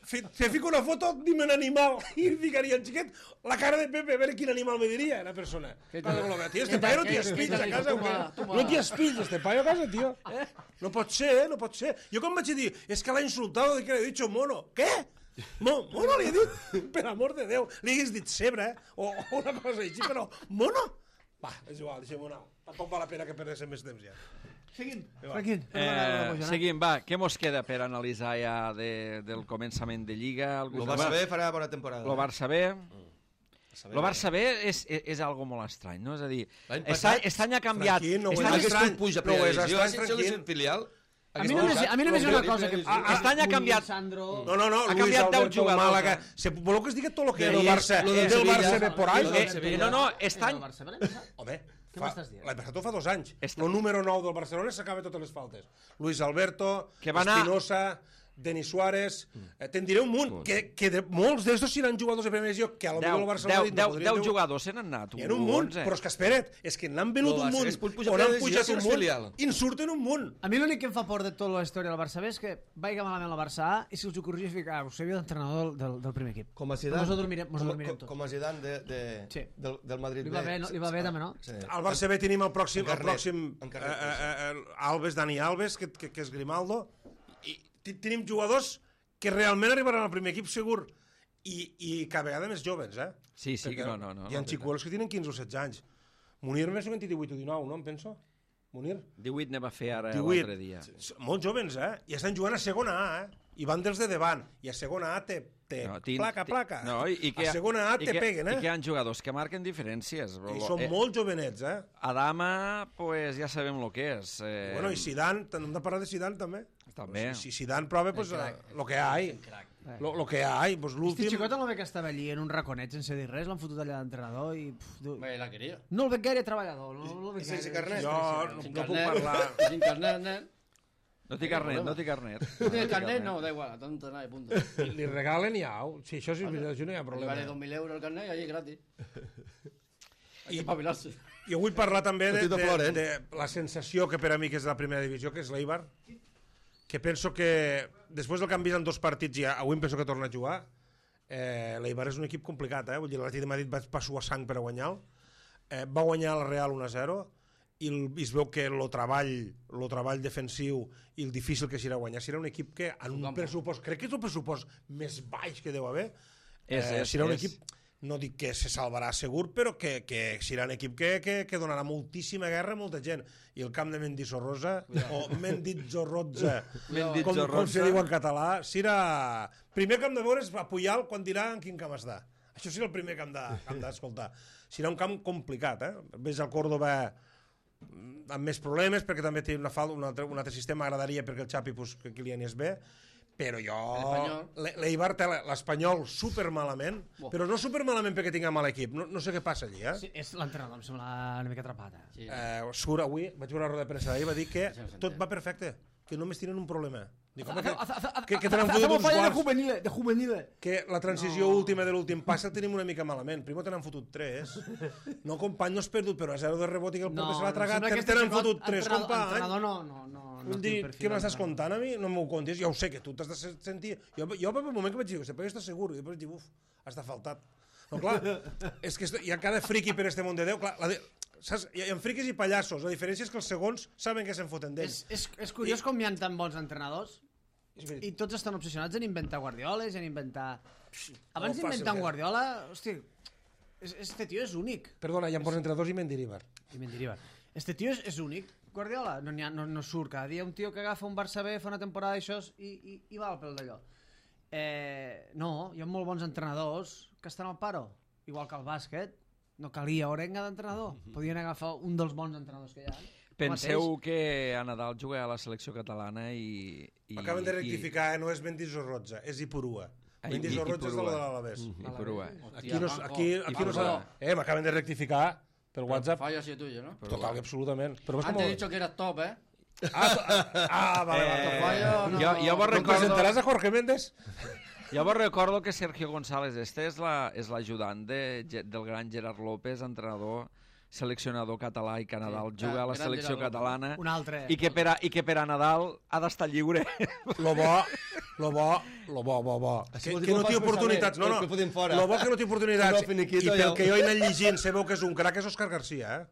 fi- te fico una foto, dime un animal, i li ficaria el xiquet la cara de Pepe, a veure quin animal me diria la persona. Tio, este paio no t'hi espills a casa, o què? No t'hi espills, este paio a casa, tio. No pot ser, eh? No pot ser. Jo com vaig dir, és que l'ha insultat, que li he dit mono. Què? Mo, mono li he dit? Per amor de Déu. Li hagués dit cebre, eh? O, o una cosa així, però mono? Va, és igual, deixem-ho anar. Tampoc val la pena que perdéssim més temps ja. Seguim, Franquín. Eh, seguim, va, què mos queda per analitzar ja de, del començament de Lliga? Algú El Barça B farà bona temporada. Lo Barça B... Lo Barça B és, és, és algo molt estrany, no? És a dir, L'any este, passat, aquest any ha canviat... Franquín, no ho este és any- Hagués estrany, pogut pujar a no ho és primera divisió, estrany, si hagués Franquín. filial... A mi només, a mi només hi ha una cosa que... A- Aquest any ha canviat... Sandro... No, no, no, Ha Luis canviat deu Alberto jugadors, Málaga. eh? Se, voleu que es digui tot el que Sí, era el és Barça, lo del del Sevilla. Barça B por ahí? Eh, no, no, aquest any... El Barça, vale? Home, Què fa, m'estàs dient? l'any passat ho fa dos anys. Esta- El número nou del Barcelona s'acaba totes les faltes. Luis Alberto, Que va anar- Espinosa, Denis Suárez... Eh, te'n diré un munt, que, que de, molts d'estos seran jugadors de primera divisió, que a lo millor el Barcelona... deu, no deu, podria deu dir- jugadors se n'han anat. Hi ha un munt, onze. però és que espera't, és que n'han venut No, un Barça munt, es pot pujar on a han primera pujat divisió un si és munt, filial. i en surten un munt. A mi l'únic que em fa por de tota la història del Barça B és que vaiga malament la Barça A i si us ho corregís ficar, us sabia d'entrenador del, del, del primer equip. Com a Zidane. Mos adormirem, mos com, adormirem com, tots. com a Zidane de, de, Sí. del, del Madrid Li va bé, no? Li va bé també, no? Sí. Al Barça B tenim el pròxim, el Encarnet, pròxim eh, encarnet, eh, eh, Alves, Dani Alves, que, que, que és Grimaldo, i te- tenim jugadors que realment arribaran al primer equip segur, i, i cada vegada més jovens, eh? Sí, sí, Perquè no, no, no. Hi ha no, xicuelos que tenen quinze o setze anys. Munir més o menys divuit o dinou, no em penso? Munir? divuit ne va fer ara divuit. l'altre dia. S- Molt jovens, eh? I estan jugant a segona A, eh? I van dels de davant. I a segona A te, te No, tin- placa, ti- placa. No, i, i que, a segona A i te que, peguen, eh? I que hi ha jugadors que marquen diferències. I Lo- són eh, molt jovenets, eh? Adama, pues ja sabem el que és. Eh, Bueno, i Zidane, hem de parlar de Zidane també. També. Si, si Zidane prova, pues, eh, lo que hay. Lo, lo que hay, pues Este l'últim... xicot no ve que estava allí en un raconet sense dir res, l'han fotut allà d'entrenador i... Pff, du... Me la quería. No el veig gaire treballador. No, no el veig sense gaire. carnet? Jo no, Sin no puc carnet. parlar... Sin carnet, nen. No té carnet, no té carnet. ¿No tienes carnet? No, da igual, tonto nada, punto. Li regalen i au. Si això sí és veritat, això no hi ha Le problema. vale dos mil euros el carnet y allí gratis. Hay I- que pabilarse. Jo vull parlar també de, Petito de, Florent. de la sensació que per a mi que és de la primera divisió, que és l'Eibar, que penso que després del que han vist en dos partits ja, avui em penso que torna a jugar, eh, l'Eibar és un equip complicat, eh? Vull dir, l'Atlètic de Madrid va, va suar sang per a guanyar-lo, eh, va guanyar el Real un a zero, i, el, i es veu que el treball, el treball defensiu i el difícil que serà guanyar, serà un equip que en un pressupost, crec que és el pressupost més baix que deu haver, És, eh, és, serà un és. equip no dic que se salvarà segur, però que, que serà un equip que, que, que donarà moltíssima guerra a molta gent. I el camp de Mendizorroza, o Mendizzorroza, com, com se diu en català, serà... Primer que hem de veure és a Puyal quan dirà en quin camp està. Això serà el primer que hem d'escoltar. Serà un camp complicat, eh? Ves al Córdoba amb més problemes, perquè també té una falta, un altre, un altre sistema, agradaria perquè el Xapi, pues, que Kylian és bé, però jo... L'Eibar té l'Espanyol supermalament, oh. però no supermalament perquè tinga mal equip, no, no sé què passa allí, eh? Sí, és l'entrenador, em sembla una mica atrapat. Eh? Sí. Eh, surt avui, vaig veure una roda de premsa d'ahir, va dir que tot va perfecte, que només tenen un problema. Dic, home, que, que, que tenen fotut uns quarts. De juvenil. Que la transició no. última de l'últim pas el tenim una mica malament. Primer tenen fotut tres. No, company, no has perdut, però a zero de rebot i que el porter no, se l'ha tragat. No, tenen fotut tres, company. Entrenador no, no, no. no dir, què m'estàs contant a mi? No m'ho contis. Jo ho sé, que tu t'has de sentir... Jo, jo per un moment que vaig dir, però jo estàs segur. I després vaig dir, uf, has faltat. No, clar, és que hi ha cada friqui per este món de Déu. Clar, la de... Saps? Hi ha friquis i pallassos. La diferència és que els segons saben que se'n foten d'ells. És, és, és curiós I... com hi ha tan bons entrenadors i tots estan obsessionats en inventar Guardioles, en inventar... Abans no d'inventar un Guardiola, hosti, este tio és únic. Perdona, hi ha bons entrenadors i Mendilibar. I Mendilibar. Este tio és, és únic. Guardiola no, ha, no, no surt cada dia un tio que agafa un Barça B, fa una temporada d'això i, i, i va al pel d'allò. Eh, no, hi ha molt bons entrenadors que estan al paro, igual que el bàsquet. No calia Orenga d'entrenador. Podien agafar un dels bons entrenadors que hi ha. Penseu que a Nadal juga a la selecció catalana i... i Acaben de rectificar, i... eh? No és Mendizorroza, és Ipurua. Mendizorroza és de l'Alavés. Ipurua. Aquí no, aquí, aquí no s'ha... Eh, m'acaben de rectificar per WhatsApp. Fallo así tuyo, ¿no? Total, absolutament. Antes he dicho que eras top, ¿eh? Ah, ah, vale, vale. Fallo, no. Jo, jo vos recordo... ¿Presentaràs a Jorge Méndez? Jo vos recordo que Sergio González este és l'ajudant la, de, del gran Gerard López, entrenador, seleccionador català i que a Nadal sí, juga a la selecció Gerard catalana un altre, i, que per a, i que per a Nadal ha d'estar lliure. Lo bo, lo bo, lo bo, bo, bo. Que, que no té oportunitats, no, no. Lo bo que no té oportunitats. I pel que jo he anat llegint, sabeu que és un crac, és Òscar García, eh?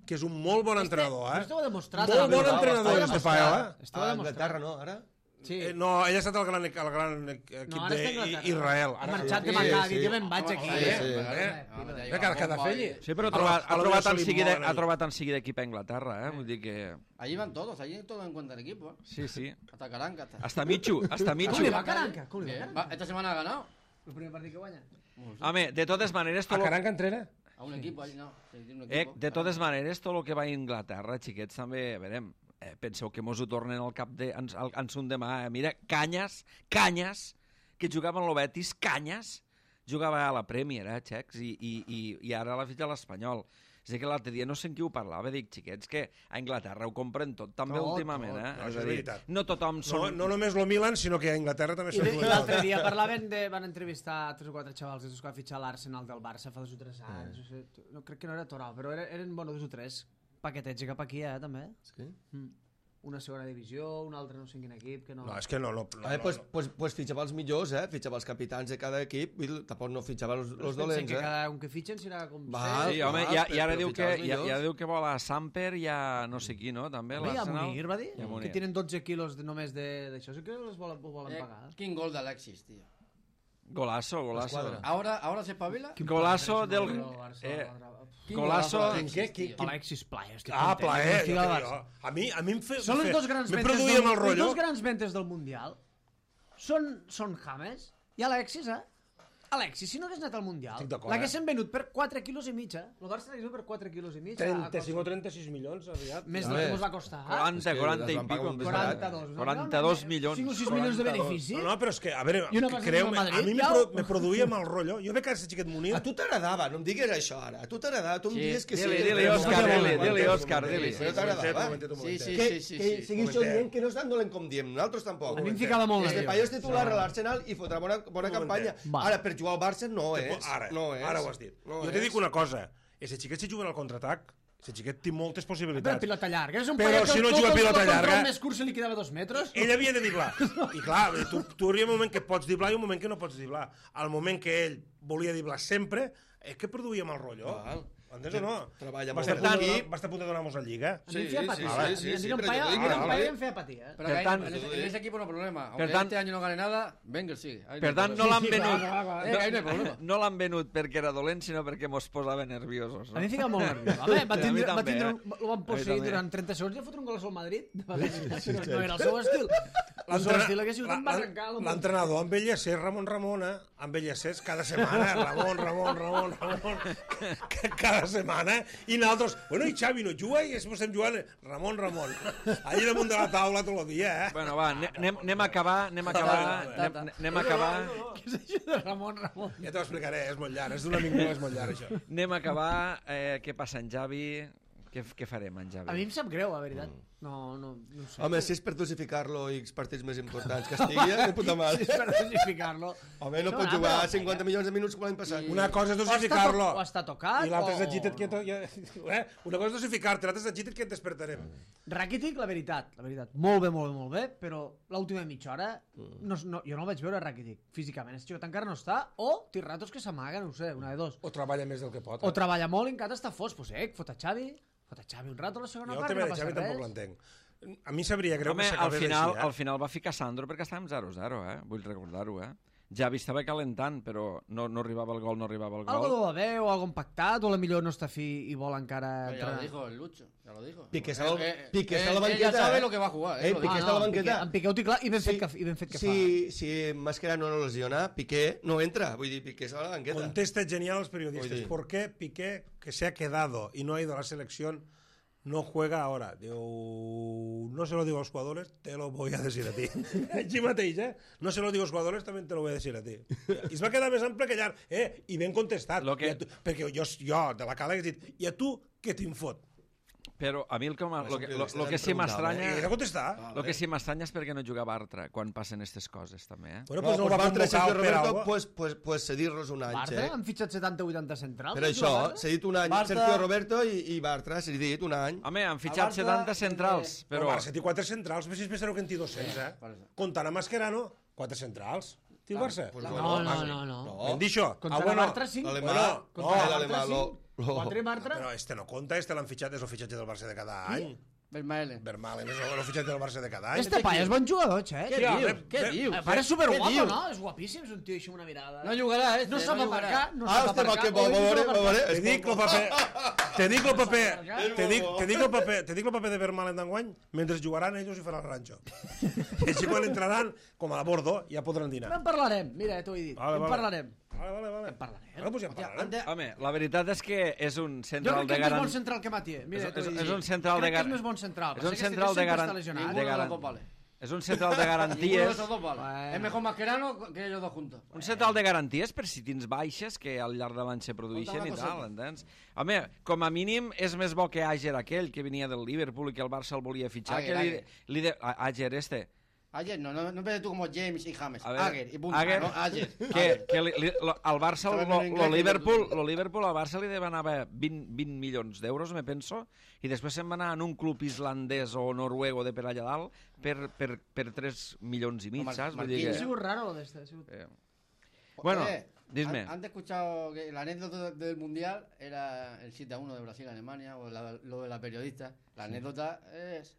Que és un molt bon entrenador, eh? Esteu demostrat. Molt bon entrenador, este paio, eh? Esteu demostrat. Anglaterra, no, ara? Sí. Eh, no, ell ha estat el gran, el gran equip no, d'Israel. Ha marxat de Maccabi, jo me'n vaig aquí. Eh, cada fell. Sí, però ha trobat, ha trobat, en seguida, ha trobat en seguida equip a Inglaterra, eh? Vull dir que... Allí van todos, allí todos encuentran equipo. Sí, sí. Hasta Caranca. Hasta, hasta Michu, hasta Michu. ¿Cómo le va a Caranca? ¿Cómo le va a Caranca? Esta semana ha ganado. El primer partido que guanya. Home, de totes maneres... A Caranca entrena? A un equip, allí no. Eh, de totes maneres, tot el que va a Inglaterra, xiquets, també, verem... Eh, penseu que mos ho tornen al cap de, en, en son demà. Eh? Mira, Canyes, Canyes, que jugava en el Betis, Canyes, jugava a la Premier, eh, xecs, i, i, i, i ara l'ha fitxat l'Espanyol. És que l'altre dia no sé en qui ho parlava, dic, xiquets, que a Anglaterra ho compren tot, també tot, últimament, eh? No, és a dir, no tothom són... No, no només lo Milan, sinó que a Anglaterra també són... I l'altre dia parlaven de... van entrevistar tres o quatre xavals que va fitxar l'Arsenal del Barça fa dos o tres anys. Eh. No, crec que no era Toral, però eren, eren bueno, dos o tres paquetets cap aquí, eh, també. Sí? Mm. Una segona divisió, un altre no sé en quin equip, que no... No, és que no... no, no, a veure, pues, pues, pues fitxava els millors, eh? Fitxava els capitans de cada equip, i tampoc no fitxava els, els dolents, que eh? cada un que fitxen serà com... Val, sí, home, i, i ara diu que, i, i ara diu que vol a Samper i a no sé qui, no? També, home, i a Munir, va dir? Munir. Que tenen dotze quilos de, només d'això, sí que els volen, volen eh, pagar. Quin gol d'Alexis, tio. Golazo, golazo. Ahora, ahora se espabila. Golazo del... Eh, golazo... Alexis Plaer. Ah, Plaer. A mi, a mi em fe... Són les dos grans mentes del, les dos grans mentes del Mundial. Són, són James i Alexis, eh? Alexis, si no hagués anat al Mundial, l'haguessin venut per quatre quilos i mig, eh? El Barça l'hagués venut per quatre quilos i mig. trenta-cinc o trenta-sis milions, aviat. Més del que ens va costar. quaranta, quaranta i pico. quaranta-dos. quaranta-dos milions. cinc o sis milions de benefici. No, no, però és que, a veure, creu-me, a mi me produïa mal rotllo. Jo veig que aquest xiquet Munir... A tu t'agradava, no em digues això ara. A tu t'agradava, tu em digues que sí. Dili, Òscar, dili, dili, Òscar, dili. Però t'agradava. Sí, sí, sí. Que seguís dient que no és tan dolent com diem, nosaltres tampoc. A mi em ficava molt. Este paio és titular a l'Arsenal i fotrà bona campanya. Ara, per jugar al Barça no és. Ara, no és. Ara ho has dit. No jo te dic una cosa, ese xiquet si juguen al contraatac, ese xiquet té moltes possibilitats. Però pilota llarga, és un però si no juga pilota llarga, el més curt se li quedava dos metres. Ell havia de driblar. I clar, tu, tu hi ha un moment que pots driblar i un moment que no pots driblar. Al moment que ell volia driblar sempre, és que produïa mal rotllo. Val. Entens o no? Treballa Va molt estar en a punt de equip. donar- va estar a punt de donar-nos la lliga. A mi em Sí, feia sí, patir. sí, A mi sí, em sí, diuen però paia, jo dic a mi que em no, paia eh? em feia patir, eh? Pero Per que tant- en, ese, en ese equipo no hay problema. Aunque Per tant- este año no gane nada, Wenger sigue. Ahí Per no hay tant, no problema. l'han Sí, sí, venut. clar, clar, clar. Eh, que ahí no hay problema. No l'han venut perquè era dolent, sinó perquè mos posava nerviosos. A No? mi em fica molt nerviós. Home, va Sí, a mi tindre, va també, tindre eh? un, lo van A mi posseir també. durant trenta segons i va fotre un gol al Madrid. No era el seu estil. El seu estil hagués sigut embarrancar. L'entrenador envellecer, Ramon Ramona, envellecer cada setmana, Ramon, Ramon, Ramon, Ramon, cada setmana, i nosaltres, bueno, i Xavi no juga, i després estem jugant, Ramon, Ramon, allà damunt de la taula tot el dia, eh? Bueno, va, anem, anem a acabar, anem a acabar, anem, anem a acabar, Què és això de Ramon Ramon? Ja t'ho explicaré, és molt llarg, és d'una vinguda, és molt llarg, això. anem a acabar, eh, què passa en Javi, què, què farem en Javi? A mi em sap greu, la veritat. No, no, no ho sé. Home, si és per dosificar-lo i els partits més importants que estigui, eh, de puta mare. Si és per dosificar-lo. Home, no No, pot no, jugar però- cinquanta milions de minuts com l'any passat. Una cosa és O està, dosificar-lo, to o està tocat, i l'altra és o- agita't que... To... Eh? Una cosa és dosificar-te, l'altra és agita't que et despertarem. Rakitic, la veritat, la veritat. Molt bé, molt bé, molt bé, però l'última mitja hora no, no, jo no el vaig veure Rakitic físicament. Este xicot encara no està, o té ratos que s'amaga, no ho sé, una de dos. O treballa més del que pot. O treballa molt i encara està fos, pues eh, fot a Xavi, fot a Xavi un rato a la segona Jo el part i tema no de passa Xavi tampoc res. l'entenc. A mi sabria greu Home, que al s'acabés final, així, eh? al final va ficar Sandro perquè estàvem zero zero, eh? Vull recordar-ho, eh? Javi estava calentant, però no, no arribava el gol, no arribava el Algo gol. deu haver, o algo impactat, o a la millor no està fi i vol encara... Pero ya lo entrenar. dijo el Lucho, ya lo dijo. Piqué Eh, está al- eh, Piqué eh, está a la él ya banqueta, sabe eh. lo que va a jugar. Eh, él lo Piqué dijo. está a la en banqueta. Piqué- En Piqué ho té clar i ben fet Sí, que, i ben fet que si, si Mascherano no lesiona, Piqué no entra. Vull dir, Piqué està a la banqueta. Contesta genial a los periodistas. Oye. ¿Por qué Piqué, que se ha quedado y no ha ido a la selección, no juega ahora? Digo, no se lo digo a los jugadores, te lo voy a decir a ti. Així mateix, eh? No se lo digo a los jugadores, también te lo voy a decir a ti. I es va quedar més ample que llarg. Eh, i ben contestat. Lo que- I a tu, perquè jo, jo, de la cala, he dit, i a tu què t'infot? Però a mi el que, m'ha- lo, que, lo, periodista lo que sí l'han preguntat, I he de m'estranya... contestar. Lo que sí m'estranya és perquè no juga Bartra quan passen aquestes coses, també, eh? Bueno, No, pues no, pues el va Bartra i convocar Sergio per Roberto, algo. pues, pues, pues cedir-los un any, Bartra, eh? han fitxat setanta vuitanta centrals. Per no això, juga Bartra? s'ha dit un any Bartra- Sergio Roberto i, i Bartra, s'ha dit un any. Home, han fitxat Bartra, setanta centrals, eh, Però... però... El Barça té quatre centrals, més si és més zero que en té dos-cents, eh? per això. Comptant a Mascherano, quatre centrals. Té el Barça? pues No, bueno, no, no, no. Hem dit això? Contra Ah, bueno, Bartra, sí. L'alemà, Bueno, no, no, l'alemà, lo, lo... Quatre i Bartra. Però este no compta, este l'han fitxat, és el fitxatge del Barça de cada any. Vermaelen. Vermaelen és el fitxatge del Barça de cada any. Este paia és bon jugador, Xet. Què Sí, dius? home, Què ve- dius? Eh, Pare superguapo, Què dius? no? És guapíssim, és un tio així amb una mirada. No jugarà, este. No sap jugarà. aparcar, no Ah, sap hòstia, va, aparcar. que bo, Oi, no va, sap va, aparcar. va, Te dic el paper... Te dic el paper... Te dic, te dic el paper, te dic el paper de Vermaelen d'enguany, mentre jugaran ells i faran el ranxo. I així quan entraran, com a la Bordo, ja podran dinar. En parlarem, mira, t'ho he dit. Vale, En vale. parlarem. Vale, vale, vale. En parlarem. Bueno, pues ja en parlarem. Ande- Home, la veritat és que és un Jo central crec de que és més bon garantia. central que Matié. Mira, És- t'ho he és- dit. és un central de Crec que gar- és més bon central. és un Passa que central este de sempre garan- està lesionat. Ninguno de garan- los dos vale. És un central de Ninguno de garanties. esos dos vale. Bueno. Es mejor Mascherano que ellos dos juntos. Un central de garanties per si tens baixes que al llarg de l'any se produeixen Conta i una tal, coseta. entens? Home, com a mínim és més bo que Àger aquell, que venia del Liverpool i que el Barça el volia fitxar, Àger, que li, Àger. li de... Á- Àger este. Ayer no, no, no empieces tú como James y James. A ver, Ager y punto. Ager. No, ayer. Que, que li, li, lo, al Barça, Estava lo, en lo, inglés, Liverpool, que- lo Liverpool al Barça li demanava vint, vint milions d'euros, me penso, i després se'n va anar en un club islandès o noruego de per allà dalt per, per, per tres milions i mig, Mar- saps? Vull dir Ha que... sigut raro lo de este. ha sigut- Eh, Bueno, Eh, dime. ¿han- ¿Han escuchado que la anécdota del Mundial era el siete a uno de Brasil-Alemania o la- lo de la periodista? La anécdota es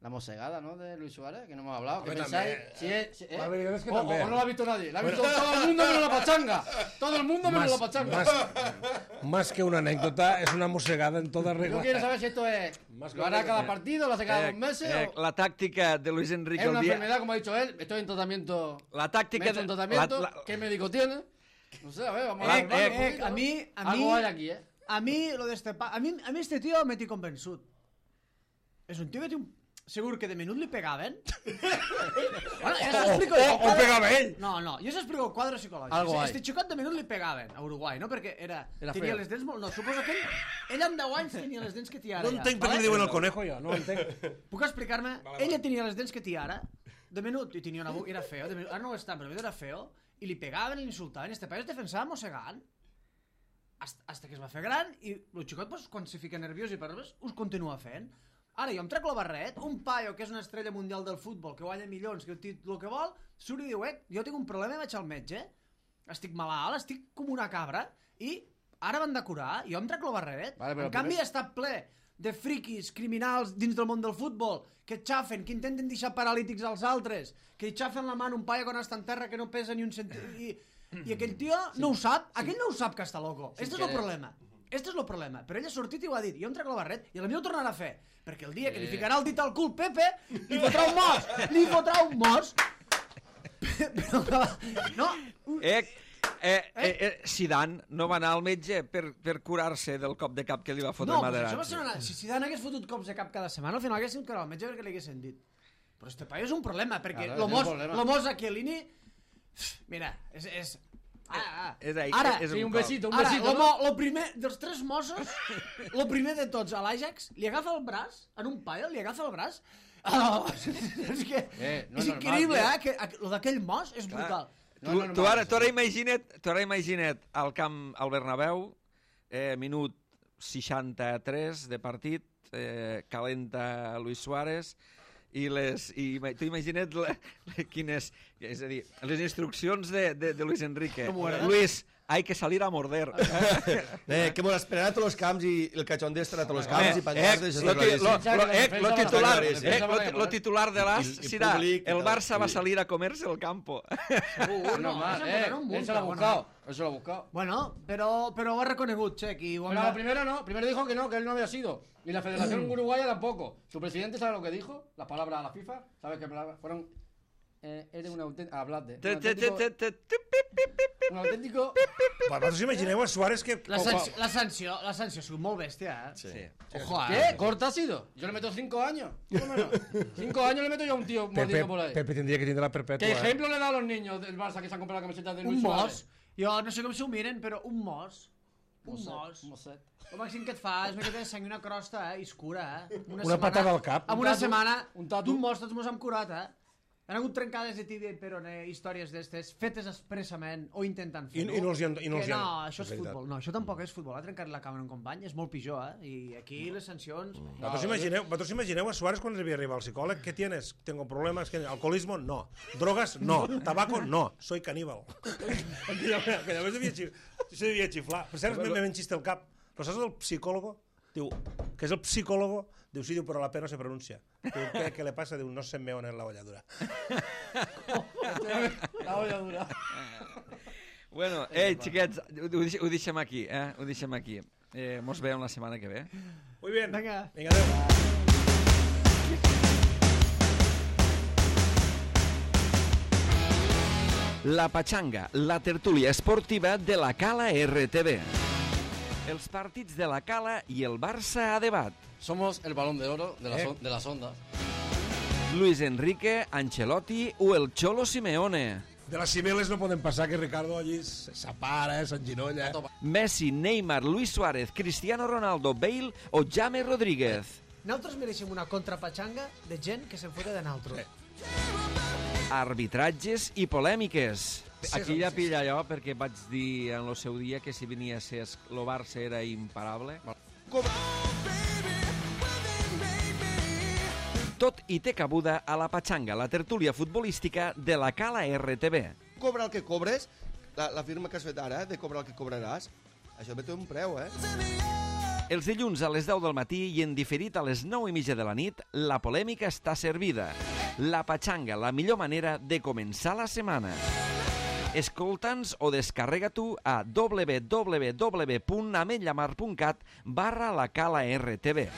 la mosegada, ¿no? De Luis Suárez, que no hemos hablado. ¿Qué Hombre, pensáis? también. Si es, si- eh, La verdad es que o, o- también. o no la ha visto nadie. La ha visto todo el mundo menos la pachanga. Todo el mundo menos la pachanga. más, más que una anécdota, es una mosegada en toda Yo regla. quiero saber si esto es. Más que ¿Lo hará una- cada partido? ¿Lo hace cada Eh, dos meses? eh, o- la tàctica de Luis Enrique ¿Es una el dia... enfermedad, como ha dicho él? Estoy en tratamiento. La Me he tàctica... hecho un de- tratamiento. la- la- ¿Qué médico tiene? No sé, a ver, vamos La- a ver. eh, un eh, poquito. a mí- a Algo mí- hay aquí, ¿eh? A mi, lo de este pa... a, mi, a mi este tio m'he tinc convençut. És un tio que té un... Segur que de menut li pegaven. Bueno, ja s'explico... O, o pegava ell. No, no, jo s'explico el quadre psicològic. Algo hay. Este xicot de menut li pegaven a Uruguai, no? Perquè era, Era tenia feo. les dents molt... No, suposo que ell, ell amb deu anys tenia les dents que té ara. No ja, entenc per què vale? li diuen el conejo, jo. No ho entenc. Puc explicar-me? Vale, Ella vale. tenia les dents que té ara, de menut, i tenia una boca, era feo, de menut, ara no ho està, però era feo, i li pegaven i l'insultaven, i este paio es defensava mossegant, hasta, hasta que es va fer gran, i el xicot, pues, quan se fica nerviós i parles, us continua fent. Ara jo em trec la barret, un paio que és una estrella mundial del futbol, que guanya milions, que té el que vol, surt i diu, eh, jo tinc un problema, vaig al metge, estic malalt, estic com una cabra, i Ara van de curar, jo em trec lo barret. Vale, però en canvi primer- està ple de friquis, criminals dins del món del futbol, que xafen, que intenten deixar paralítics als altres, que xafen la mà en un paio quan està en terra que no pesa ni un centímetre. I, I aquell tio no ho sap, aquell no ho sap que està loco. Sin Este és el querer. problema. Este és el problema. Però ell ha sortit i ho ha dit. Jo em trec el barret i a mi ho tornarà a fer. Perquè el dia que li Eh. ficarà el dit al cul Pepe, li fotrà un mos. Li fotrà un mos. Però, no, Eh, eh, eh, eh, Zidane no va anar al metge per, per curar-se del cop de cap que li va fotre no, però Materazzi. això va ser una... Si Zidane hagués fotut cops de cap cada setmana, al final hagués sigut que al metge perquè li haguessin dit. Però este paio és un problema, perquè Claro, lo és un mos, problema. lo mos a Chiellini... Mira, és... és... Ah, ah. És, ahí, Ara, és Sí, un cop. besito, un Ara, besito, lo, no? mo, lo primer, dels tres Mossos, lo primer de tots, a l'Ajax, li agafa el braç, en un paio, li agafa el braç, oh, és que Eh, no és és normal, increïble, tio. eh? Que, a- lo d'aquell Mos és brutal. No, Tu, no, no, tu, no, ara, no. tu ara imagina't, tu ara imagina't al camp al Bernabéu, eh, minut seixanta-tres de partit, eh, calenta Luis Suárez, i les i ima- tu imagina't la, la, quines, és a dir, les instruccions de, de, de Luis Enrique. Com ho era? Luis, hay que salir a morder. Eh, que m'ho esperarà a tots els camps i el cachondeo estarà a tots els camps Eh, i penjar-se, eh, això lo, està ti- lo, claríssim. lo, eh, lo titular, Lo eh, titular, lo, lo titular de l'As I- i serà públic i el tal, Barça va sí. salir a comerse el campo. Uh, No, no, no, eh, eh, un él se lo ha bueno. buscado, él se lo ha buscado. Bueno, pero, pero ho ha reconegut, Check, i ho hem Pero de- la primera no, primero dijo que no, que él no había sido. Y la Federación Uruguaya tampoco. Su presidente sabe lo que dijo, las palabras a la FIFA, ¿sabes qué palabras? Fueron, eh, eres un auténtico, hablaste, un auténtico, un auténtico, Vosaltres imagineu a Suárez que... La, sanció, la, sanció, la sanció ha sigut molt bèstia, eh? Sí. Ojo, eh? ¿qué? ¿Corta ha sido? Yo le meto cinco años, por lo menos. Cinco años le meto yo a un tío Pepe, mordido por ahí. Pepe tindria que tindre la perpètua. ¿Qué eh? ejemplo le da a los niños del Barça que se han comprado la camiseta de Luis Un Suárez? mos. Jo no sé com s'ho miren, però un mos. Un mos. Un moset. El màxim que et fa és una miqueta de sang i una crosta, eh? I es cura, eh? Una patada al cap. Amb Un una tatu, setmana un tatu. d'un mos tots mos hem curat, eh? Hi ha hagut trencades de tibia i peroné, històries d'estes, fetes expressament o intentant I, fer-ho. i no els hi han... I no, els Que hi han... no, això és veritat. futbol. No, això tampoc és futbol. Ha trencat la cama en un company, és molt pitjor, eh? I aquí les sancions... Vosaltres imagineu, vosaltres imagineu a Suárez quan havia arribat al psicòleg? ¿Qué tienes? Tengo problemas. ¿Qué? ¿Alcoholismo? No. ¿Drogas? No. ¿Tabaco? No. Soy caníbal. Aquella, aquella vegada devia, xif... se devia xiflar. Per cert, me ven xiste al cap. Però saps el psicòlogo? Diu, que és el psicòlogo? Diu, sí, diu, però la P no se pronuncia. Diu, què, què le passa? Diu, no se meo en la olladura. La olla dura. Bueno, ei, xiquets, ho, ho deix- ho deixem aquí, eh? Ho deixem aquí. Eh, mos veiem la setmana que ve. Muy bien. Vinga. Vinga, adéu. La Pachanga, la tertúlia esportiva de la Cala R T V. Els partits de la Cala i el Barça a debat. Somos el balón de oro de, las Eh. on- de las ondas. Luis Enrique, Ancelotti o el Cholo Simeone. De les cibeles no poden passar que Ricardo allí s'apara, s'enginolla. Messi, Neymar, Luis Suárez, Cristiano Ronaldo, Bale o James Rodríguez. Nosaltres mereixem una contrapatxanga de gent que se'n fota de naltro. Arbitratges i polèmiques. Aquí ja pilla allò perquè vaig dir en el seu dia que si venia a ser el Barça era imparable. Tot i té cabuda a la Pachanga, la tertúlia futbolística de la Cala R T V. Cobra el que cobres, la, la firma que has fet ara, de cobrar el que cobraràs, això també té un preu, eh? Els dilluns a les deu del matí i en diferit a les nou i mitja de la nit, la polèmica està servida. La Pachanga, la millor manera de començar la setmana. Escolta'ns o descarrega tu a w w w punt ametllamar punt cat barra la Cala R T V.